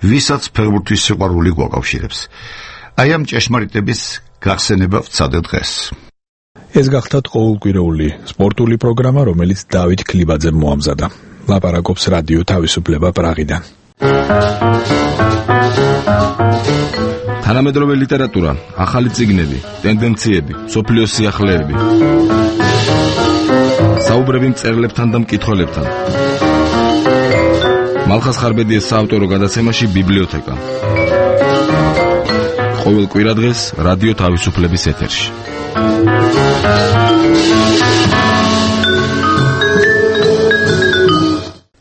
ვისაც ფეხბურთის სიყვარული გვაკავშირებს. აი ამ ჭეშმარიტების გახსენება ვცადე დღეს. ეს გახლდათ ყოველკვირეული სპორტული პროგრამა, რომელიც დავით ქლიბაძემ მოამზადა. ლაპარაკობს რადიო თავისუფლება პრაღიდან. თანამედროვე ლიტერატურა, ახალი წიგნები, ტენდენციები, სოფლიოს სიახლეები. საუბრები მწერლებთან და მკითხველებთან. მალხას ხარბედიას საავტორო გადაცემაში ბიბლიოთეკა. ყოველ კვირადღეს რადიო თავისუფლების ეთერში.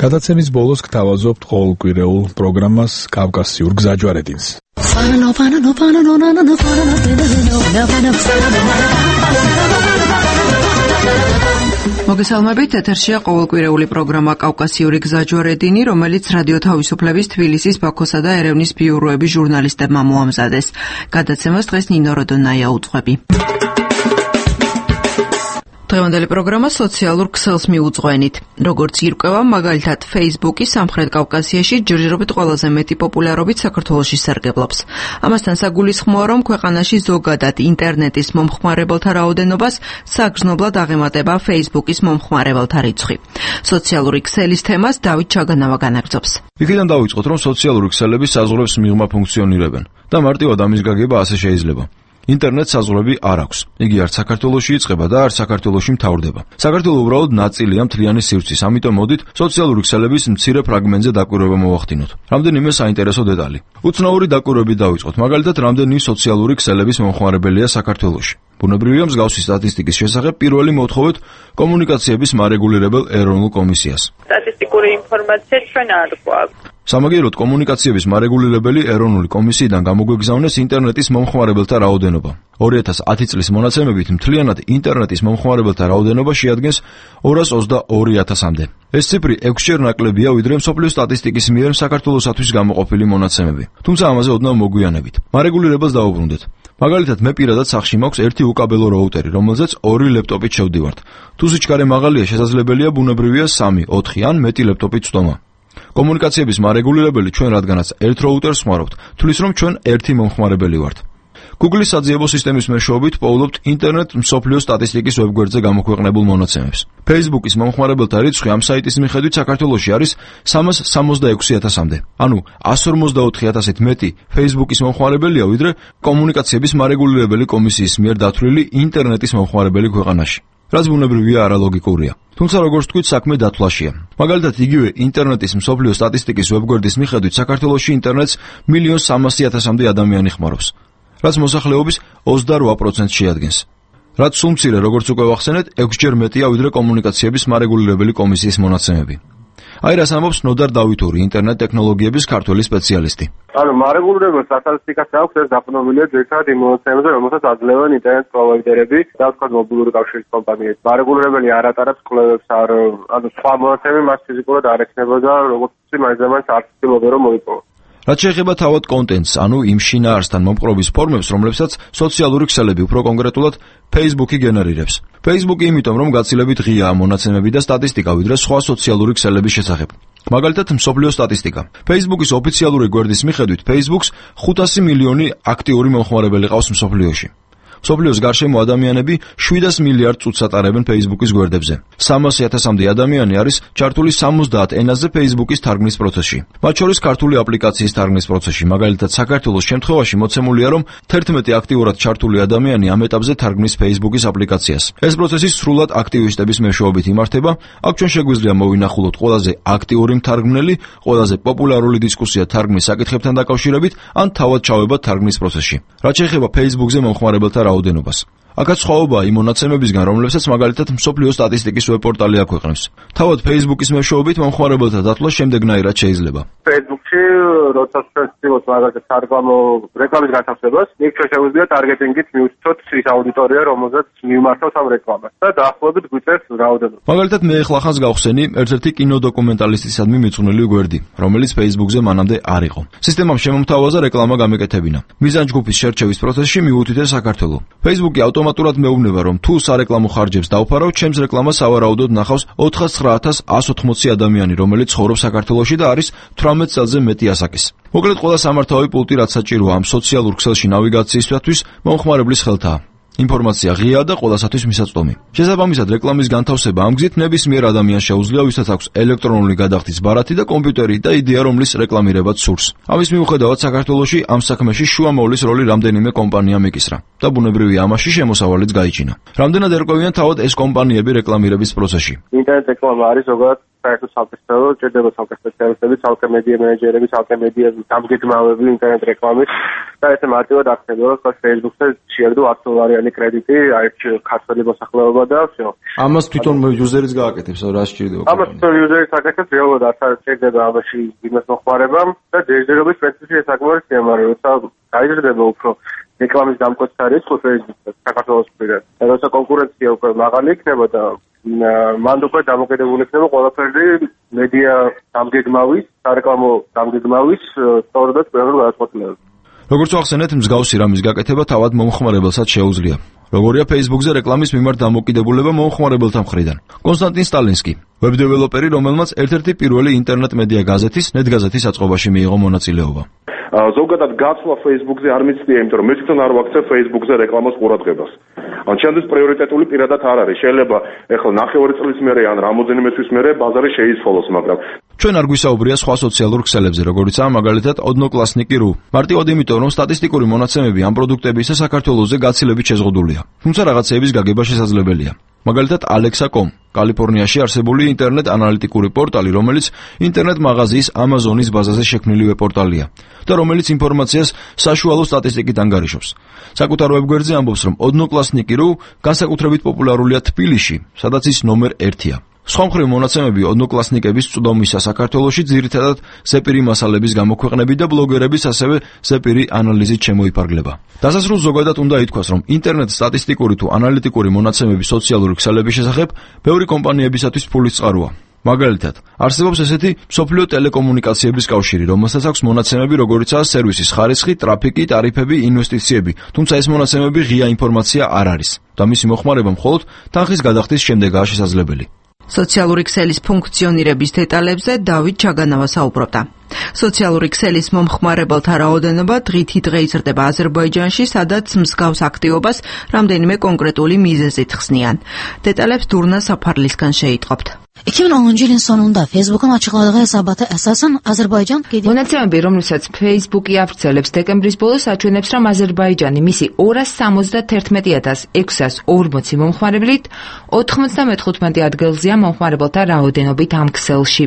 გადაცემის ბოლოს გთავაზობთ ყოველკვირეულ პროგრამას კავკასიურ გზაჯვარედინს. მოგესალმებით, ეთერშია ყოველკვირეული პროგრამა კავკასიური გზაჯვარედინი, რომელიც რადიო თავისუფლების თბილისის, ბაქოსა და ერევნის ბიუროების ჟურნალისტებმა მოამზადეს. გადაცემას დღეს ნინო როდონაია უძღვები. დღევანდელი პროგრამა სოციალურ ქსელს მიუძღვენით. როგორც ირკვევა, მაგალითად, Facebook-ი სამხრეთ კავკასიაში ჯერჯერობით ყველაზე მეტი პოპულარობით საქართველოში სარგებლობს. ამასთან საგულისხმოა, რომ ქვეყანაში ზოგადად ინტერნეტის მომხმარებელთა რაოდენობას საგრძნობლად აღემატება Facebook-ის მომხმარებელთა რიცხვი. სოციალური ქსელის თემას დავით ჩაგანავა განაგრძობს. იქიდან დავიწყოთ, რომ სოციალური ქსელები საზღვრებს მიღმა ფუნქციონირებენ და მარტივად ამის გაგება ასე შეიძლება. ინტერნეტს საზღვრები არ აქვს. იგი არც საქართველოში იწყება და არც საქართველოში მთავრდება. საქართველო უბრალოდ ნაწილია მთლიანი სივრცის, ამიტომ მოდით სოციალური ქსელების მცირე ფრაგმენტზე დაკვირვება მოვახდინოთ. რამდენიმე საინტერესო დეტალი. უცნაური დაკვირვებით დავიწყოთ. მაგალითად, რამდენი სოციალური ქსელების მომხმარებელია საქართველოში. ბუნებრივია, მსგავსი სტატისტიკის შესახებ პირველი მოვთხოვეთ კომუნიკაციების მარეგულირებელ ეროვნულ კომისიას. სტატისტიკური ინფორმაცია ჩვენ არ გვაქვს. სამაგიეროდ კომუნიკაციების მარეგულირებელი ეროვნული კომისიიდან გამოგვეგზავნეს ინტერნეტის მომხმარებელთა რაოდენობა. ორი ათას ათი წლის მონაცემებით მთლიანად ინტერნეტის მომხმარებელთა რაოდენობა შეადგენს ორას ოცდაორი ათასამდე. ეს ციფრი ექვსჯერ ნაკლებია, ვიდრე მსოფლიო სტატისტიკის მიერ საქართველოსათვის გამოყოფილი მონაცემები. თუმცა ამაზე ოდნავ მოგვიანებით. მარეგულირებელს დავუბრუნდეთ. მაგალითად, მე პირადად სახლში მაქვს ერთი უკაბელო რაუტერი, რომელზეც ორი ლეპტოპით შევდივართ. თუ სიჩქარე მაღალია, შესაძლებელია ბუნებრივია სამი, ოთხი ან მეტი ლეპტოპით წვდომა. კომუნიკაციების მარეგულირებელი ჩვენ რადგანაც ერთ რაუტერს ხმარავთ, თulis რომ ჩვენ ერთი მომხმარებელი ვართ. Google-ის საძიებო სისტემის მეშვეობით პოულობთ ინტერნეტ მსოფლიო სტატისტიკის ვებგვერდზე გამოქვეყნებულ მონაცემებს. Facebook-ის მომხმარებელთა რიცხვი ამ საიტის მიხედვით საქართველოში არის სამას სამოცდაექვსი ათასამდე. ანუ εκατს ორმოცდაოთხი ათასით მეტი Facebook-ის მომხმარებელია, ვიდრე კომუნიკაციების მარეგულირებელი კომისიის მიერ დათვლილი ინტერნეტის მომხმარებელი ქვეყანაში. რაც ბუნებრივია არალოგიკურია. თუმცა როგორც თქვით, საქმე დათვლაშია. მაგალითად, იგივე ინტერნეტის მსოფლიო სტატისტიკის ვებგვერდის მიხედვით საქართველოში ინტერნეტს მილიონ სამასი ათასამდე ადამიანი ხმარობს. რაც მოსახლეობის ოცდარვა პროცენტს შეადგენს. რაც სულ მცირე, როგორც უკვე ვახსენეთ, ექვსჯერ მეტია ვიდრე კომუნიკაციების მარეგულირებელი კომისიის მონაცემები. აი რას ამბობს ნოდარ დავითური, ინტერნეტ ტექნოლოგიების ქართველი სპეციალისტი. ანუ მარეგულირებელ სტატისტიკას აქვს ეს დაფუძნებულია ძირითადად იმ მონაცემებზე, რომელსაც აძლევენ ინტერნეტ პროვაიდერები და თქვათ მობილური კავშირის კომპანიები. მარეგულირებელი არ ატარებს კვლევებს, არ ანუ სხვა მონაცემები მას ფიზიკურად არ ექნებოდა, როგორც მაინც არ ცდილობდა რომ მოიპოვოს. რაც შეეხება თავად კონტენტს, ანუ იმ შინაარსთან მომპყრობის ფორმებს, რომლებსაც სოციალური ქსელები, უფრო კონკრეტულად Facebook-ი გენერირებს. Facebook-ი იმიტომ, რომ გაცილებით ღიაა მონაცემები და სტატისტიკა, ვიდრე სხვა სოციალური ქსელების შესახებ. მაგალითად, მსოფლიო სტატისტიკა. Facebook-ის ოფიციალური გვერდის მიხედვით, Facebook-ს ხუთასი მილიონი აქტიური მომხმარებელი ყავს მსოფლიოში. მსოფლიოს გარშემო ადამიანები შვიდას მილიარდ წუთს ატარებენ Facebook-ის გვერდებზე. სამასი ათასამდე ადამიანი არის ჩართული სამოცდაათ ენაზე Facebook-ის თარგმნის პროცესში. მათ შორის ქართული აპლიკაციის თარგმნის პროცესში. მაგალითად, საქართველოს შემთხვევაში მოცემულია, რომ თერთმეტი აქტიურად ჩართული ადამიანი ამ ეტაპზე თარგმნის Facebook-ის აპლიკაციას. ეს პროცესი სრულად აქტივისტების მეშვეობით იმართება. აქ ჩვენ შეგვიძლია მოვინახულოთ ყველაზე აქტიური მთარგმნელი, ყველაზე პოპულარული დისკუსია თარგმნის საკითხებთან დაკავშირებით, ან თავად ჩავება თარგმნის პროცესში. რაც შეეხება Facebook-ზე მომხმარებელთა რაოდენობას. აქაც სხვაობაა იმ მონაცემებისგან, რომლებსაც მაგალითად მსოფლიო სტატისტიკის ვებპორტალი აქვეყნებს. თავად Facebook-ის მეშვეობით მომხმარებელთა დათვლა შემდეგნაირად შეიძლება. Facebook-ში როცა ვცდილობთ მაგალითად სარეკლამო რეკლამის განთავსებას, იქ ჩვენ შეგვიძლია ტარგეტინგით მივუწოდოთ ის აუდიტორია, რომელზეც მივმართავთ ამ რეკლამას და დაახლოებით გვიწევს რაოდენობა. მაგალითად, მე ახლა ხანს გავხსენი ერთ-ერთი კინოდოკუმენტალისტისადმი მიძღვნილი გვერდი, რომელიც Facebook-ზე მანამდე არ იყო. სისტემამ შემომთავაზა რეკლამა გამეკეთებინა. მიზანჯგუფის შერჩევის პროცესში მიუთითე საქართველო. Facebook-ი ავტომატურად მეუბნება, რომ თუ სარეკლამო ხარჯებს დავფარავ, ჩემს რეკლამას სავარაუდოდ ნახავს ოთხასცხრა ათას εκατს ოცდაოთხი ადამიანი, რომელიც ცხოვრობს საქართველოში და არის თვრამეტ წელზე მეტი ასაკის. მოკლედ, ყველა სამართავი პულტი, რაც საჭიროა ამ სოციალურ ქსელში ნავიგაციისათვის, მომხმარებლის ხელთაა. ინფორმაცია ღიაა და ყველასათვის მისაწვდომი. შესაბამისად, რეკლამის განთავსება ამ გზით ნებისმიერ ადამიანს შეუძლია, ვისაც აქვს ელექტრონული გადახდის ბარათი და კომპიუტერი და იდეა, რომლის რეკლამირებაც სურს. ამის მიუხედავად, საქართველოში ამ საქმეში შუამოვლის როლი რამდენიმე კომპანიამ ეკისრა და ბუნებრივია ამაში შემოსავალიც გაიჩინა. რამდენად ერკვევიან თავად ეს კომპანიები რეკლამირების პროცესში? ინტერნეტ რეკლამა არის ზოგადად საერთოდ საკითხები, ჭირდება ცალკე სპეციალისტები, ცალკე მედია მენეჯერები, ცალკე მედია დამგეგმავები ინტერნეტ რეკლამის და ესე მარტივად აქცენტი, რომ Facebook-ზე შეერდო ათი დოლარიანი კრედიტი, აი ქართველი მოსახლეობა და всё. ამას თვითონ იუზერიც გააკეთებს, რა სჭირდება? ამას თვითონ იუზერიც აკეთებს, რეალურად არ სჭირდება ამაში იმას მოხმარება და ჯერჯერობით სპეციფიკური საკმაოდ სიამოვნებაა, როცა გაიზრდება უფრო რეკლამის დამკვეთთა რიცხვი Facebook-ზე საქართველოს მხრიდან. და როცა კონკურენცია უკვე მაღალი იქნება და მანდ უკვე დამოკიდებული იქნება ყველაფერი მედია დამგეგმავის, სარეკლამო დამგეგმავის სწორედად პირველ გადაწყვეტილებაზე. როგორც ახსენეთ, მსგავსი რამის გაკეთება თავად მომხმარებელსაც შეუძლია. როგორია Facebook-ზე რეკლამის მიმართ დამოკიდებულება მომხმარებელთა მხრიდან. კონსტანტინ სტალინსკი, ვებ-დეველოპერი, რომელმაც ერთ-ერთი პირველი ინტერნეტ მედია გაზეთის, ნეტგაზეთის აწყობაში მიიღო მონაწილეობა. ზოგადად გაცვლა Facebook-ზე არ მიცდია, იმიტომ რომ მე თვითონ არ ვაქცევ Facebook-ზე რეკლამას ყურადღებას. ან ჩემთვის პრიორიტეტული პირადად არ არის. შეიძლება ეხლა ნახევარი წლის მერე ან რამოდენიმე თვის მერე ბაზარი შეიცვალოს, მაგრამ ჩვენ არ გვისაუბრია სხვა სოციალურ ქსელებზე, როგორიცაა მაგალითად ოდნოკლასნიკი ru. მარტივად იმიტომ, რომ სტატისტიკური მონაცემები ამ პროდუქტებისა საქართველოზე გაცილებით შეზღუდულია. თუმცა რაღაცეების გაგება შესაძლებელია. მაგალითად Alexa τελεία com, კალიფორნიაში არსებული ინტერნეტ ანალიტიკური პორტალი, რომელიც ინტერნეტ მაღაზიის Amazon-ის ბაზაზე შექმნილი ვებ-პორტალია და რომელიც ინფორმაციას საშუალო სტატისტიკით ანგარიშობს. საკუთარ ვებგვერდზე ამბობს, რომ ოდნოკლასნიკი ru განსაკუთრებით პოპულარულია თბილისში, სადაც ის ნომერ ერთია. სხვა მხრივ მონაცემები ოდნოკლასნიკების წვდომისა საქართველოში ძირითადად ზეპირი მასალების გამოქვეყნებით და ბლოგერების ასევე ზეპირი ანალიზით შემოიფარგლება. დასასრულს ზოგადად უნდა ითქვას, რომ ინტერნეტ სტატისტიკური თუ ანალიტიკური მონაცემები სოციალური ქსელების შესახებ ბევრი კომპანიებისათვის ფულის წყაროა. მაგალითად, არსებობს ესეთი მსოფლიო ტელეკომუნიკაციების კავშირი, რომელსაც აქვს მონაცემები, როგორიცაა სერვისის ხარისხი, ტრაფიკი, ტარიფები, ინვესტიციები, თუმცა ეს მონაცემები ღია ინფორმაცია არ არის და მისი მოხმარება მხოლოდ თანხის გადახდის შემდეგაა შესაძლებელი. სოციალური ქსელის ფუნქციონირების დეტალებზე დავით ჩაგანავა საუბრობდა. სოციალური ქსელის მომხმარებელთა რაოდენობა დღითი დღე იზრდება აზერბაიჯანში, სადაც მსგავს აქტივობას რამდენიმე კონკრეტული მიზეზით ხსნიან. დეტალებს დურნა საფარლისგან შეიტყობთ. iki bin onuncu yılın sonunda Facebook'un açıkladığı hesabata esasen Azerbaycan მონაცემები, რომლებსაც Facebook-ი ავრცელებს დეკემბრის ბოლოს, აჩვენებს, რომ აზერბაიჯანი მისი ორას სამოცდათერთმეტი ათას ექვსას ორმოცი მომხმარებლით ოთხმოცდამეხუთმეტე ადგილზეა მომხმარებელთა რაოდენობით ამ ქსელში.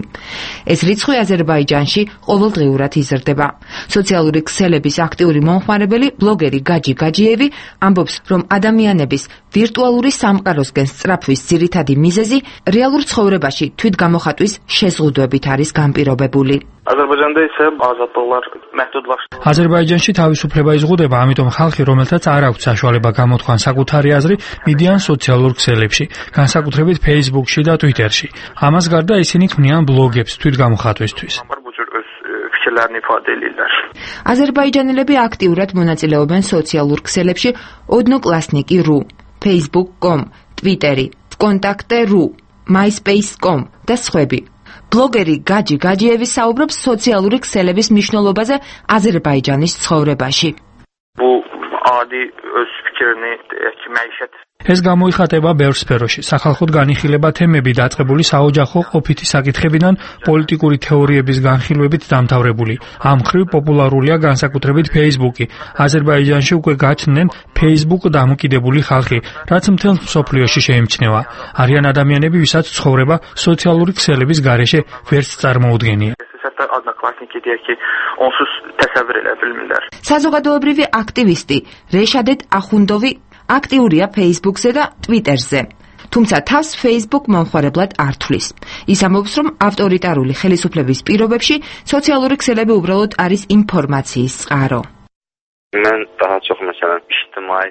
ეს რიცხვი აზერბაიჯანში ყოველდღიურად იზრდება. სოციალური ქსელების აქტიური მომხმარებელი ბლოგერი გაჯი გაჯიევი ამბობს, რომ ადამიანების ვირტუალური სამყაროსკენ სწრაფვის ძირითადი მიზეზი რეალურ ცხოვრებაში თვითგამოხატვის შეზღუდვებით არის განპირობებული. აზერბაიჯანდა ისე ազատողlar մեթոդlaşdı. აზერბაიჯანში თავისუფლება იზღუდება, ამიტომ ხალხი, რომელთაც არ აქვს საშუალება გამოთქვან საკუთარი აზრი, მიდიან სოციალურ ქსელებში, განსაკუთრებით Facebook-ში და Twitter-ში. ამას გარდა ისინი ქმნიან ბლოგებს თვითგამოხატვისთვის. აზერბაიჯანელები აქტიურად მონაწილეობენ სოციალურ ქსელებში ოდნოკლასნიკი ru, facebook dot com, Twitter-ი, Vkontakte dot ru, myspace dot com და სხვები. ბლოგერი გაჯი გაჯიევი საუბრობს სოციალური ქსელების მნიშვნელობაზე აზერბაიჯანის ცხოვრებაში. Bu adi öz fikrini məişət ეს გამოიხატება ბევრ სფეროში. სახალხოდ განიხილება თემები დაწყებული საოჯახო ყოფითი საკითხებიდან პოლიტიკური თეორიების განხილვებით დამთავრებული. ამ მხრივ პოპულარულია განსაკუთრებით Facebook-ი. აზერბაიჯანში უკვე გაჩნდნენ Facebook დამოკიდებული ხალხი, რაც მთელ მსოფლიოში შეიმჩნევა. არიან ადამიანები, ვისაც ცხოვრება სოციალური ქსელების გარეშე ვერც წარმოუდგენია. საზოგადოებრივი აქტივისტი რეშადეთ ახუნდოვი აქტიურია Facebook-ზე და Twitter-ზე. თუმცა თავს Facebook მომხმარებლად არ თვლის. ის ამბობს, რომ ავტორიტარული ხელისუფლების პირობებში სოციალური ქსელები უბრალოდ არის ინფორმაციის წყარო. Mən daha çox məsələn ictimai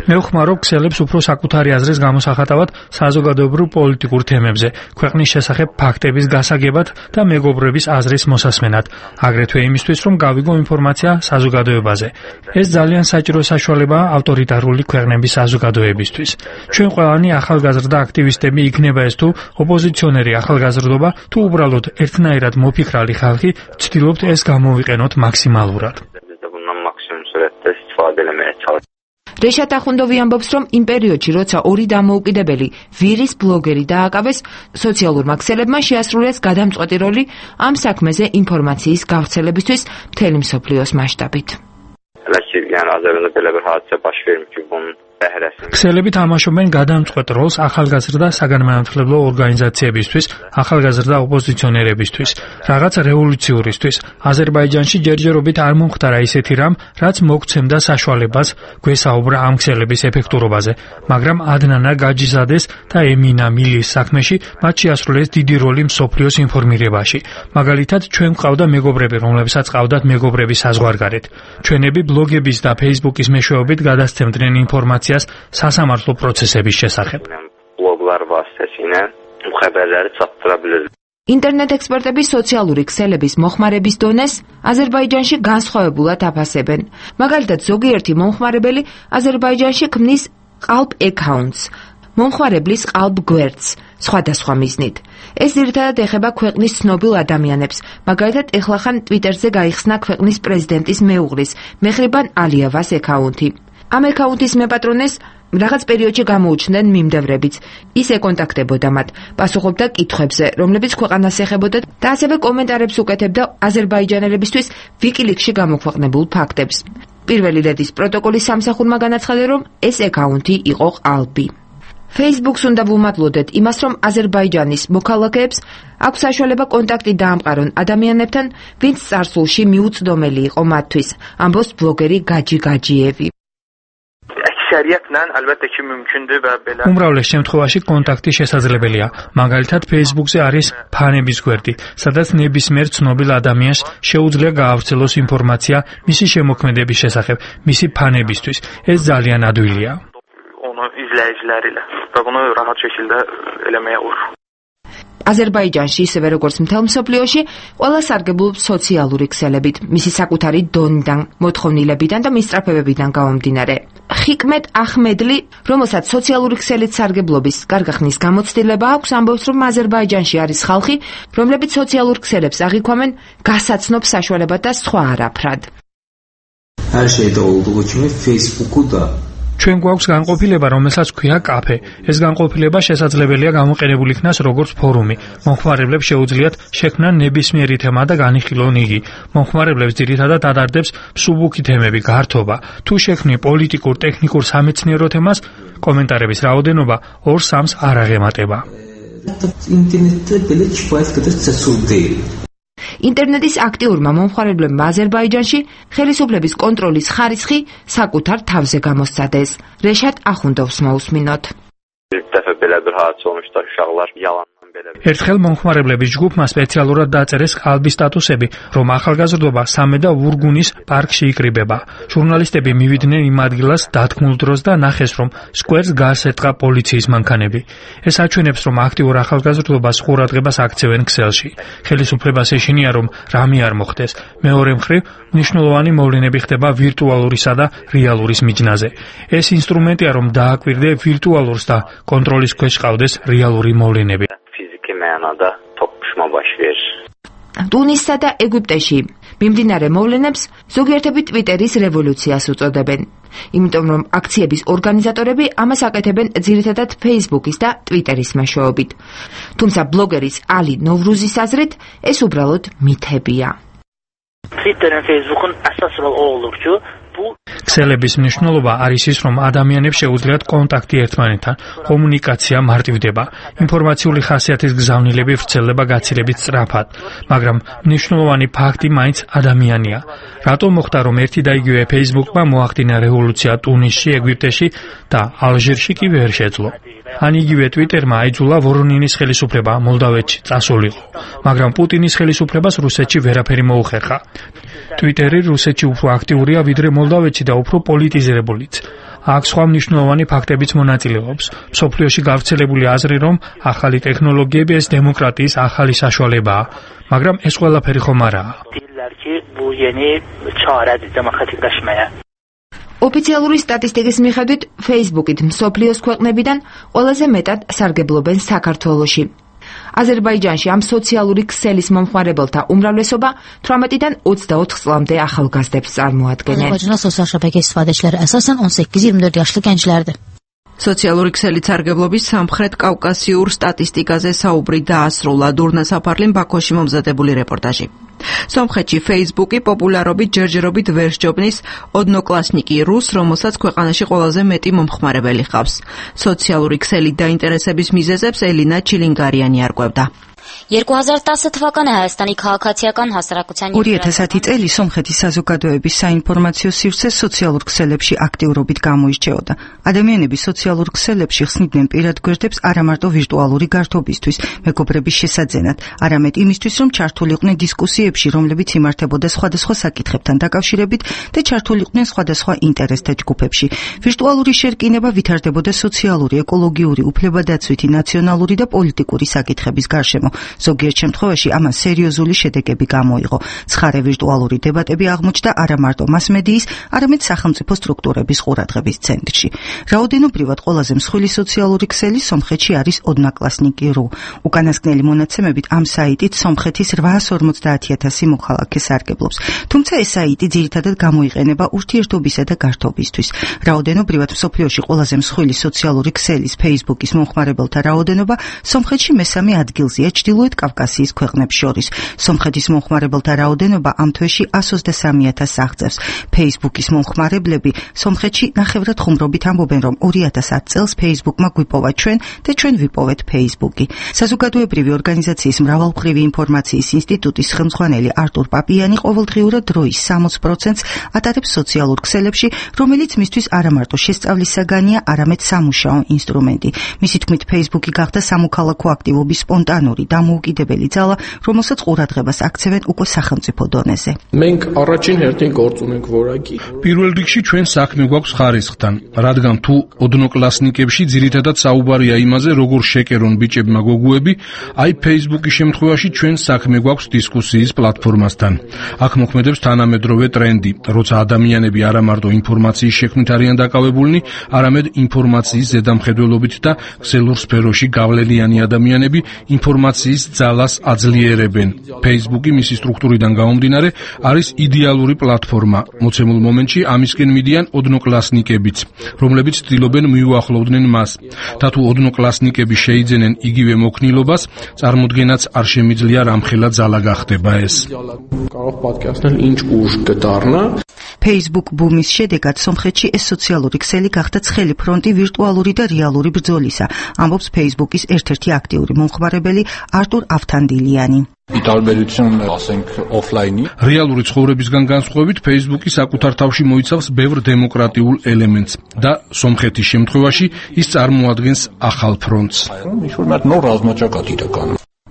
მე ვხმარო ქსელებს უფრო საკუთარი აზრის გამოსახატავად საზოგადოებრივ პოლიტიკურ თემებზე, ქვეყნის შესახებ ფაქტების გასაგებად და მეგობრების აზრის მოსასმენად, აგრეთვე იმისთვის, რომ გავიგო ინფორმაცია საზოგადოებაზე. ეს ძალიან საჭირო საშუალებაა ავტორიტარული ქვეყნების საზოგადოებისთვის. ჩვენ ყველანი ახალგაზრდა აქტივისტები იქნება ეს თუ ოპოზიციონერი ახალგაზრდობა, თუ უბრალოდ ერთნაირად მოფიქრალი ხალხი, ვცდილობთ ეს გამოვიყენოთ მაქსიმალურად. რეშად ახუნდოვი ამბობს, რომ იმ პერიოდში, როცა ორი დამოუკიდებელი ვირის ბლოგერი დააკავეს, სოციალურმა ქსელებმა შეასრულეს გადამწყვეტი როლი ამ საქმეზე ინფორმაციის გავრცელებისთვის მთელი მსოფლიოს მასშტაბით. ქსელები თამაშობენ გადამწყვეტ როლს ახალგაზრდა საგანმანათლებლო ორგანიზაციებისთვის, ახალგაზრდა ოპოზიციონერებისთვის, რაღაც რევოლუციურისთვის. აზერბაიჯანში ჯერჯერობით არ მომხდარა ისეთი რამ, რაც მოგცემდა საშუალებას გვესაუბრა ამ ქსელების ეფექტურობაზე, მაგრამ ადნანა გაჯიზადეს და ემინა მილის საქმეში მათ შეასრულეს დიდი როლი მსოფლიოს ინფორმირებაში. მაგალითად, ჩვენ გვყავდა მეგობრები, რომლებსაც ყავდათ მეგობრები საზღვარგარეთ. ჩვენები ბლოგების და Facebook-ის მეშვეობით გადასცემდნენ ინფორმაციას სასამართლო პროცესების შესახებ. Bloglar vasitəsilə bu xəbərləri çatdıra bilir. ინტერნეტ ექსპერტები სოციალური ქსელების მოხმარების დონეს აზერბაიჯანში განსხვავებულად აფასებენ. მაგალითად, ზოგიერთი მომხმარებელი აზერბაიჯანში ქმნის ყალბ აკაუნტს, მომხმარებლის ყალბ გვერდს, სხვადასხვა მიზნით. ეს ძირითადად ეხება ქვეყნის ცნობილ ადამიანებს. მაგალითად, ეხლახან Twitter-ზე გაიხსნა ქვეყნის პრეზიდენტის მეუღლის, მეხრიბან ალიევას აკაუნტი. ამ აკაუნტის მეპატრონეს რაღაც პერიოდში გამოუჩნდნენ მიმდევრებიც. ის ეკონტაქტებოდა მათ, პასუხობდა კითხვებზე, რომლებიც ქვეყანას ეხებოდა და ასევე კომენტარებს უკეთებდა აზერბაიჯანელებისთვის ვიკილიკსში გამოქვეყნებულ ფაქტებს. პირველი ლედის პროტოკოლის სამსახურმა განაცხადა, რომ ეს აკაუნტი იყო ყალბი. Facebook-ს უნდა ვუმადლოდეთ იმას, რომ აზერბაიჯანის მოქალაქეებს აქვს საშუალება კონტაქტი დაამყარონ ადამიანებთან, ვინც წარსულში მიუწვდომელი იყო მათთვის, ამბობს ბლოგერი გაჯი გაჯიევი. Əksəriyyətlə əlbəttə ki mümkündür və belə. უმრავლეს შემთხვევაში კონტაქტი შესაძლებელია. მაგალითად, Facebook-ზე არის ფანების გვერდი, სადაც ნებისმიერ ცნობილ ადამიანს შეუძლია გაავრცელოს ინფორმაცია მისი შემოქმედების შესახებ, მისი ფანებისთვის. ეს ძალიან ადვილია. Onu izləyiciləri ilə və bunu rahat şəkildə eləməyə olur. აზერბაიჯანში, ისევე როგორც მთელ მსოფლიოში, ყველა სარგებლობს სოციალური ქსელებით, მისი საკუთარი დონიდან, მოთხოვნილებიდან და მისწრაფებებიდან გამომდინარე. ხიკმეტ ახმედლი, რომელსაც სოციალური ქსელით სარგებლობის გარგახნის გამოცდილება აქვს, ამბობს, რომ აზერბაიჯანში არის ხალხი, რომლებიც სოციალურ ქსელებს აღიქვამენ გასაცნობ საშუალებად და სხვა არაფრად. Her şeyde olduğu gibi Facebook'u da ჩვენ გვაქვს განყოფილება, რომელსაც ქვია კაფე. ეს განყოფილება შესაძლებელია გამოყენებული იქნას როგორც ფორუმი. მომხმარებლებს შეუძლიათ შექმნან ნებისმიერი თემა და განიხილონ იგი. მომხმარებლებს ძირითადად ადარდებს მსუბუქი თემები, გართობა. თუ შექმნი პოლიტიკურ, ტექნიკურ, სამეცნიერო თემას, კომენტარების რაოდენობა ორ-სამს არ აღემატება. internetdə belə kifayət qədər cəsur deyil. ინტერნეტის აქტიურმა მომხმარებლებმა აზერბაიჯანში ხელისუფლების კონტროლის ხარისხი საკუთარ თავზე გამოსცადეს. რეშატ ახუნდოვს მოусმინოთ. ერთხელ მომხმარებლების ჯგუფმა სპეციალურად დაწერეს ყალბის სტატუსები, რომ ახალგაზრდობა სამედა ვურგუნის პარკში იკრიბება. ჟურნალისტები მივიდნენ იმ ადგილას დათქმულ დროს და ნახეს, რომ სკვერს გარს ეტყა პოლიციის მანქანები. ეს აჩვენებს, რომ აქტიურ ახალგაზრდობას ყურადღებას აქცევენ ქსელში. ხელისუფლებას ეშინია, რომ რამე არ მოხდეს. მეორე მხრივ, მნიშვნელოვანი მოვლენები ხდება ვირტუალურისა და რეალურის მიჯნაზე. ეს ინსტრუმენტია, რომ დააკვირდე ვირტუალურს და კონტროლის ქვეშ ყავდეს რეალური მოვლენები. Mənada toqquşma baş verir. ტუნისსა და ეგვიპტეში მიმდინარე მოვლენებს ზოგიერთები ტვიტერის რევოლუციას უწოდებენ. იმიტომ რომ აქციების ორგანიზატორები ამას აკეთებენ ძირითადად Facebook-ის და Twitter-ის მეშვეობით. თუმცა ბლოგერის ალი ნოვრუზის აზრით ეს უბრალოდ მითებია. Twitter-ın, Facebook-ın əsas rol o olur ki, ქსელების მნიშვნელობა არის ის, რომ ადამიანებს შეუძლიათ კონტაქტი ერთმანეთთან, კომუნიკაცია მარტივდება, ინფორმაციული ხასიათის გზავნილები ვრცელდება გაცილებით სწრაფად, მაგრამ მნიშვნელოვანი ფაქტი მაინც ადამიანია. რატომ მოხდა, რომ ერთი და იგივე Facebook-მა მოახდინა რევოლუცია ტუნისში, ეგვიპტეში და ალჟირში კი ვერ შეძლო? ან იგივე Twitter-მა აიძულა ვორონინის ხელისუფლება მოლდავეთში წასულიყო, მაგრამ პუტინის ხელისუფლებას რუსეთში ვერაფერი მოუხერხა. Twitter-ი რუსეთში უფრო აქტიურია ვიდრე მოლდავეთში და უფრო პოლიტიზირებულიც. აქ სხვა მნიშვნელოვანი ფაქტებიც მონაწილეობს. მსოფლიოში გავრცელებული აზრი, რომ ახალი ტექნოლოგიები ეს დემოკრატიის ახალი საშუალებაა, მაგრამ ეს ყველაფერი ხომ არაა. ოფიციალური სტატისტიკის მიხედვით, Facebook-ით მსოფლიოს ქვეყნებიდან ყველაზე მეტად სარგებლობენ საქართველოში. აზერბაიჯანში ამ სოციალური ქსელის მომხმარებელთა უმრავლესობა თვრამეტიდან ოცდაოთხ წლამდე ახალგაზრდებს წარმოადგენენ. Azərbaycanın sosial şəbəkə istifadəçiləri əsasən on səkkiz iyirmi dörd yaşlı gənclərdir. სოციალური ქსელით სარგებლობის სამხრეთ კავკასიურ სტატისტიკაზე საუბრი დაასრულა დურნა საფარლიმ ბაქოში მომზადებული რეპორტაჟი. სომხეთში Facebook-ი პოპულარობით ჯერჯერობით ვერ სჯობნის ოდნოკლასნიკი რუს, რომელსაც ქვეყანაში ყველაზე მეტი მომხმარებელი ჰყავს. სოციალური ქსელით დაინტერესების მიზეზებს ელინა ჩილინგარიანი არკვევდა. երկու հազար տասը թվականը Հայաստանի քաղաքացիական հասարակության ორი ათასი წელი სომხეთის საზოგადოების საინფორმაციო სივრცე სოციალურ ქსელებში აქტიურობით გამოირჩეოდა. ადამიანები სოციალურ ქსელებში ხსნიდნენ პირად გვერდებს არა მარტო ვირტუალური გართობისთვის, მეგობრების შესაძენად, არამედ იმისთვის, რომ ჩართულიყვნენ დისკუსიებში, რომლებიც იმართებოდა სხვადასხვა საკითხებთან დაკავშირებით და ჩართულიყვნენ სხვადასხვა ინტერესთა ჯგუფებში. ვირტუალური შერკინება ვითარდებოდა სოციალური, ეკოლოგიური, უფლებადაცვითი, ნაციონალური და პოლიტიკური საკითხების გარშემო. ზოგიერთ შემთხვევაში ამან სერიოზული შედეგები გამოიღო. ცხარე ვირტუალური დებატები აღმოჩნდა არა მარტო მასმედიის, არამედ სახელმწიფო სტრუქტურების ყურადღების ცენტრში. რაოდენობრივად ყველაზე მსხვილი სოციალური ქსელი სომხეთში არის ოდნაკლასნიკი ru. უკანასკნელი მონაცემებით ამ საიტით სომხეთის რვაას ორმოცდაათი ათასი მოქალაქე სარგებლობს. თუმცა ეს საიტი ძირითადად გამოიყენება ურთიერთობისა და გართობისთვის. რაოდენობრივად მსოფლიოში ყველაზე მსხვილი სოციალური ქსელის Facebook-ის მომხმარებელთა რაოდენობა სომხეთში მესამე ადგილზეა ჩრდილოეთ კავკასიის ქვეყნებს შორის. სომხეთის მომხმარებელთა რაოდენობა ამ თვეში εκατს ოცდასამი ათასს აღწევს. Facebook-ის მომხმარებლები სომხეთში ნახევრად ხუმრობით ამბობენ, რომ ორი ათას ათ წელს Facebook-მა გვიპოვა ჩვენ და ჩვენ ვიპოვეთ Facebook-ი. საზოგადოებრივი ორგანიზაციის მრავალმხრივი ინფორმაციის ინსტიტუტის ხელმძღვანელი ხელმძღვანელი არტურ პაპიანი ყოველდღიურად დროის სამოც პროცენტს ატარებს სოციალურ ქსელებში, რომელიც მისთვის არა მარტო შესწავლის საგანია, არამედ სამუშაო ინსტრუმენტი. მისი თქმით, Facebook-ი გახდა სამოქალაქო აქტივობის სპონტანური დამოუკიდებელი ძალა, რომელსაც ყურადღებას აქცევენ უკვე სახელმწიფო დონეზე. մենք առաջին հերթին գործ ունենք որակի. პირველ რიგში ჩვენ საქმე გვაქვს ხარისხთან, რადგან თუ ოდნოკლასნიკებში ძირითადად საუბარია იმაზე, როგორ შეკერონ ბიჭებმა გოგუები, აი Facebook-ის შემთხვევაში ჩვენ საქმე გვაქვს დისკუსიის პლატფორმასთან. აქ მოქმედებს თანამედროვე ტრენდი, როცა ადამიანები არა მარტო ინფორმაციის შექმნით არიან დაკავებულნი, არამედ ინფორმაციის ზედამხედველობით და ქსელურ სფეროში გავლენიანი ადამიანები ინფორმაციის ძალას აძლიერებენ. Facebook-ი მისი სტრუქტურიდან გამომდინარე არის იდეალური პლატფორმა. მოცემულ მომენტში ამისკენ მიდიან ოდნოკლასნიკებიც, რომლებიც ცდილობენ მიუახლოვდნენ მას. და თუ ოდნოკლასნიკები შეიძენენ იგივე მოქნილობას, წარმოდგენაც არ შემიძლია რამხელა ძალა გახდება ეს. կարող პოდკასტն ինչ ուժ կդառնա. Facebook ბუმის შედეგად სომხეთში ეს სოციალური ქსელი გახდა ცხელი ფრონტი ვირტუალური და რეალური ბრძოლისა, ამბობს Facebook-ის ერთ-ერთი აქტიური მომხმარებელი არტურ ავთანდილიანი. რეალური ცხოვრებისგან განსხვავებით, Facebook-ი საკუთარ თავში მოიცავს ბევრ დემოკრატიულ ელემენტს და სომხეთის შემთხვევაში ის წარმოადგენს ახალ ფრონტს.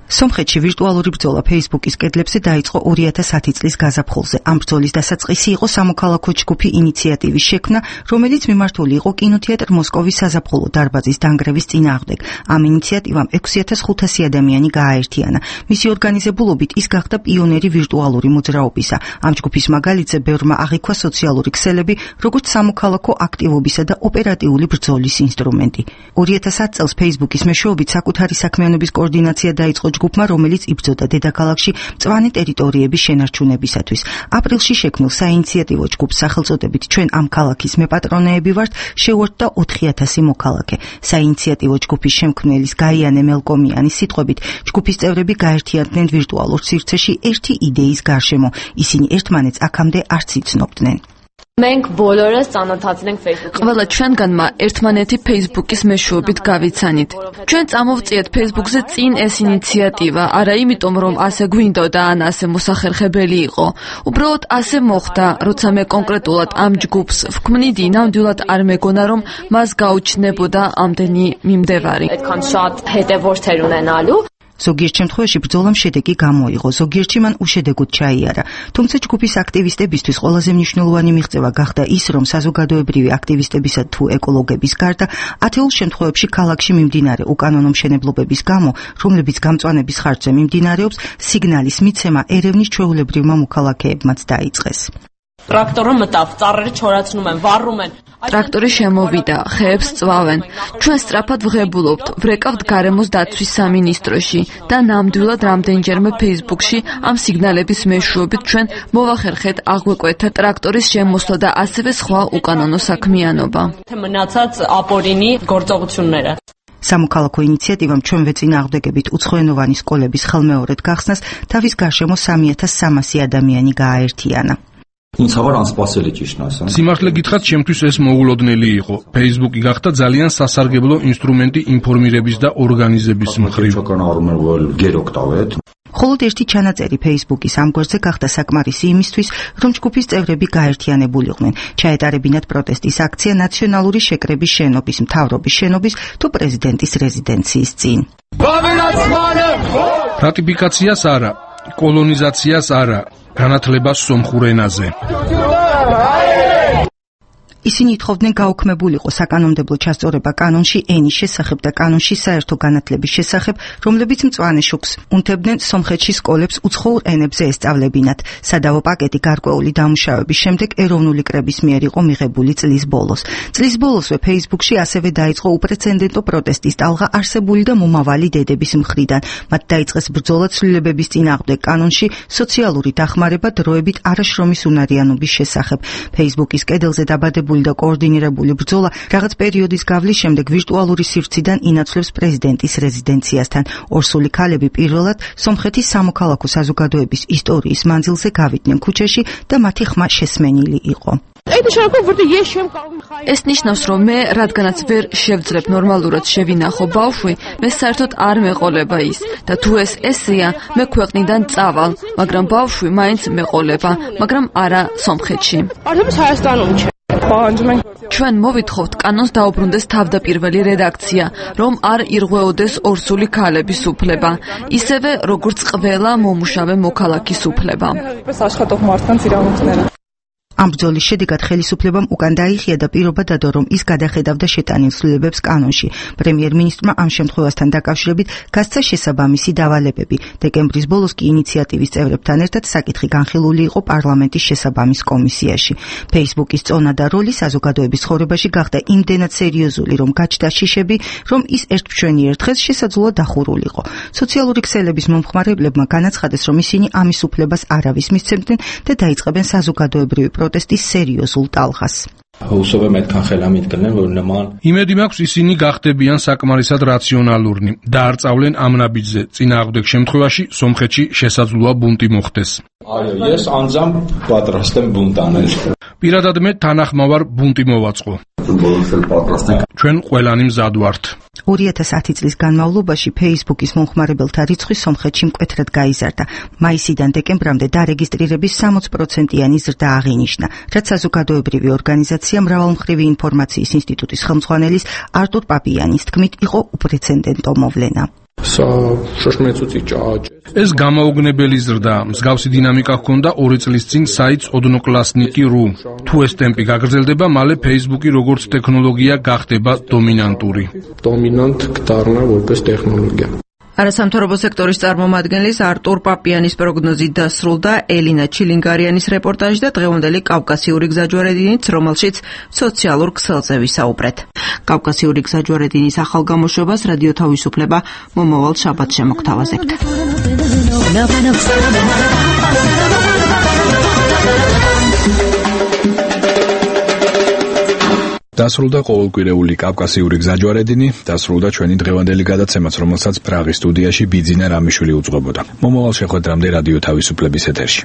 სომხეთში ვირტუალური ბრძოლა Facebook-ის კედლებზე დაიწყო ორი ათას ათი წლის გაზაფხულზე. ამ ბრძოლის დასაწყისი იყო სამოქალაქო ჯგუფი ინიციატივის შექმნა, რომელიც მიმართული იყო კინოთეატრ მოსკოვის საზაფხულო დარბაზის დანგრევის წინააღმდეგ. ამ ინიციატივამ ექვსი ათას ხუთასი ადამიანი გააერთიანა. მისი ორგანიზებულობით ის გახდა პიონერი ვირტუალური მოძრაობისა. ამ ჯგუფის მაგალითზე ბევრმა აღიქვა სოციალური ქსელები, როგორც სამოქალაქო აქტივობისა და ოპერატიული ბრძოლის ინსტრუმენტი. ორი ათას ათი წელს Facebook-ის მეშვეობით საკუთარი საქმიანობის კოორდინაცია დაიწყო ჯგუფმა, რომელიც იბრძოდა დედაქალაქში მწვანე ტერიტორიების შენარჩუნებისათვის. აპრილში შექმნილ საინიციატივო ჯგუფს სახელწოდებით ჩვენ ამ ქალაქის მეპატრონეები ვართ შეუერთდა ოთხი ათასი მოქალაქე. საინიციატივო ჯგუფის შემქმნელის გაიანე მელკომიანის სიტყვებით, ჯგუფის წევრები გაერთიანდნენ ვირტუალურ სივრცეში ერთი იდეის გარშემო. ისინი ერთმანეთს აქამდე არც იცნობდნენ. մենք բոլორս ծանոթացնենք Facebook-ին. ყველა ჩვენგანმა ერთმანეთი Facebook-ის მეშვეობით გავიცანით. ჩვენ წამოვწიეთ Facebook-ზე წინ ეს ინიციატივა, არა იმიტომ რომ ასე გვინდოდა ან ასე მოსახერხებელი იყო. უბრალოდ ასე მოხდა, როცა მე კონკრეტულად ამ ჯგუფს ვქმნიდი, ნამდვილად არ მეგონა რომ მას გაუჩნდებოდა ამდენი მიმდევარი. այդքան շատ հետևորդեր ունենալու. ზოგიერთ შემთხვევაში ბრძოლამ შედეგი გამოიღო, ზოგიერთში მან უშედეგოდ ჩაიარა. თუმცა ჯგუფის აქტივისტებისთვის ყველაზე მნიშვნელოვანი მიღწევა გახდა ის, რომ საზოგადოებრივი აქტივისტებისა თუ ეკოლოგების გარდა ათეულ შემთხვევებში ქალაქში მიმდინარე უკანონო მშენებლობების გამო, რომლებიც გამწვანების ხარჯზე მიმდინარეობს, სიგნალის მიცემა ერევნის ჩვეულებრივმა მოქალაქეებმაც დაიწყეს. ტრაქტორը մտավ, ծառերը չորացնում են, վառում են. ტრაქტორი შემოვიდა, ხეებს წვავენ. ჩვენ სწრაფად ვღებულობთ, ვრეკავთ გარემოს დაცვის სამინისტროში და ნამდვილად რამდენჯერმე Facebook-ში ამ სიგნალების მეშვეობით ჩვენ მოვახერხეთ აღვეკვეთა ტრაქტორის შემოსვლა და ასევე სხვა უკანონო საქმიანობა. მნაცած აპორინი գործողությունները. სამოქალაქო ინიციატივამ ჩვენვე წინააღმდეგებით უცხოენოვანი სკოლების ხელმეორედ გახსნას თავის გარშემო სამი ათას სამასი ადამიანი გააერთიანა. Ինձ համար անսպասելի ճիշտն ասեմ. Სიმართლე გითხრათ, ჩემთვის ეს მოულოდნელი იყო. Facebook-ი გახდა ძალიან სასარგებლო ინსტრუმენტი ინფორმირების და ორგანიზების მხრივ. მხოლოდ ერთი ჩანაწერი Facebook-ის ამ გვერდზე გახდა საკმარისი იმისთვის, რომ ჯგუფის წევრები გაერთიანებულიყვნენ. ჩაეტარებინათ პროტესტის აქცია ნაციონალური შეკრების შენობის, მთავრობის შენობის თუ პრეზიდენტის რეზიდენციის წინ. რატიფიკაციას არა, კოლონიზაციას არა, განათლებას სომხურ ენაზე. ისინი ითხოვდნენ გაუქმებულიყო საკანონმდებლო ჩასწორება კანონში ენის შესახებ და კანონში საერთო განათლების შესახებ, რომლებიც მწვანე შუქს უნთებდნენ სომხეთში სკოლებს უცხოურ ენებზე ესწავლებინათ. სადავო პაკეტი გარკვეული დამუშავების შემდეგ ეროვნული კრების მიერ იყო მიღებული წლის ბოლოს. წლის ბოლოსვე Facebook-ში ასევე დაიწყო უპრეცედენტო პროტესტის ტალღა არსებული და მომავალი დედების მხრიდან. მათ დაიწყეს ბრძოლა ცვლილებების წინააღმდეგ კანონში, სოციალური დახმარება დროებით არაშრომის უნარიანობის შესახებ. Facebook-ის კედელზე დაბადებული განსაკუთრებული და კოორდინირებული ბრძოლა რაღაც პერიოდის გავლის შემდეგ ვირტუალური სივრციდან ინაცვლებს პრეზიდენტის რეზიდენციასთან. ორსული ქალები პირველად სომხეთის სამოქალაქო საზოგადოების ისტორიის მანძილზე გავიდნენ ქუჩაში და მათი ხმა შესმენილი იყო. ეს ნიშნავს, რომ მე, რადგანაც ვერ შევძლებ ნორმალურად შევინახო ბავშვი, მე საერთოდ არ მეყოლება ის და თუ ეს ესეა, მე ქვეყნიდან წავალ, მაგრამ ბავშვი მაინც მეყოლება, მაგრამ არა სომხეთში. ჩვენ მოვითხოვთ კანონს დაუბრუნდეს თავდაპირველი რედაქცია, რომ არ ირღვეოდეს ორსული ქალების უფლება, ისევე როგორც ყველა მომუშავე მოქალაქის უფლება. ამ ბრძოლის შედეგად ხელისუფლებამ უკან დაიხია და პირობა დადო, რომ ის გადახედავდა შეტანილ ცვლილებებს კანონში. პრემიერ-მინისტრმა ამ შემთხვევასთან დაკავშირებით გასცა შესაბამისი დავალებები. დეკემბრის ბოლოს კი ინიციატივის წევრებთან ერთად საკითხი განხილული იყო პარლამენტის შესაბამის კომისიაში. Facebook-ის წონა და როლი საზოგადოების ცხოვრებაში გახდა იმდენად სერიოზული, რომ გაჩნდა შიშები, რომ ის ერთმჩვენიერ დღეს შესაძლოა დახურულიყო. სოციალური ქსელების მომხმარებლებმა განაცხადეს, რომ ისინი ამის უფლებას არავის მისცემდნენ და დაიწყებენ საზოგადოებრივი პროტესტის სერიოზულ ტალღას. იმედი მაქვს, ისინი გახდებიან საკმარისად რაციონალურნი და არ წავლენ ამ ნაბიჯზე. წინააღმდეგ შემთხვევაში სომხეთში შესაძლოა ბუნტი მოხდეს. პირადად მე თანახმავარ ბუნტი მოვაწყო. ჩვენ ყველანი მზად ვართ. ორი ათას ათი წლის განმავლობაში Facebook-ის მომხმარებელთა რიცხვი სომხეთში მკვეთრად გაიზარდა. მაისიდან დეკემბრამდე დარეგისტრირების სამოცი პროცენტიანი ზრდა აღინიშნა, რაც საზოგადოებრივი ორგანიზაცია მრავალმხრივი ინფორმაციის ინსტიტუტის ხელმძღვანელის არტურ პაპიანის თქმით იყო უპრეცედენტო მოვლენა. ეს გამაოგნებელი ზრდაა. მსგავსი დინამიკა ჰქონდა ორი წლის წინ საიტს ოდნოკლასნიკი ru. თუ ეს ტემპი გაგრძელდება, მალე Facebook-ი როგორც ტექნოლოგია გახდება დომინანტური. დომინანტ გდარნა որպես ტექნოლოგია. არასამთავრობო სექტორის წარმომადგენლის არტურ პაპიანის პროგნოზით დასრულდა ელინა ჩილინგარიანის რეპორტაჟი და დღევანდელი კავკასიური გზაჯვარედინით, რომელშიც სოციალურ ქსელზე ვისაუბრეთ. კავკასიური გზაჯვარედინის ახალ გამოშვებას რადიო თავისუფლება მომავალ შაბათს შემოგთავაზებთ. დასრულდა ყოველკვირეული კავკასიური გზაჯვარედინი, დასრულდა ჩვენი დღევანდელი გადაცემაც, რომელსაც პრაღის სტუდიაში ბიძინა რამიშვილი უძღვებოდა. მომავალ შეხვედრამდე რადიო თავისუფლების ეთერში.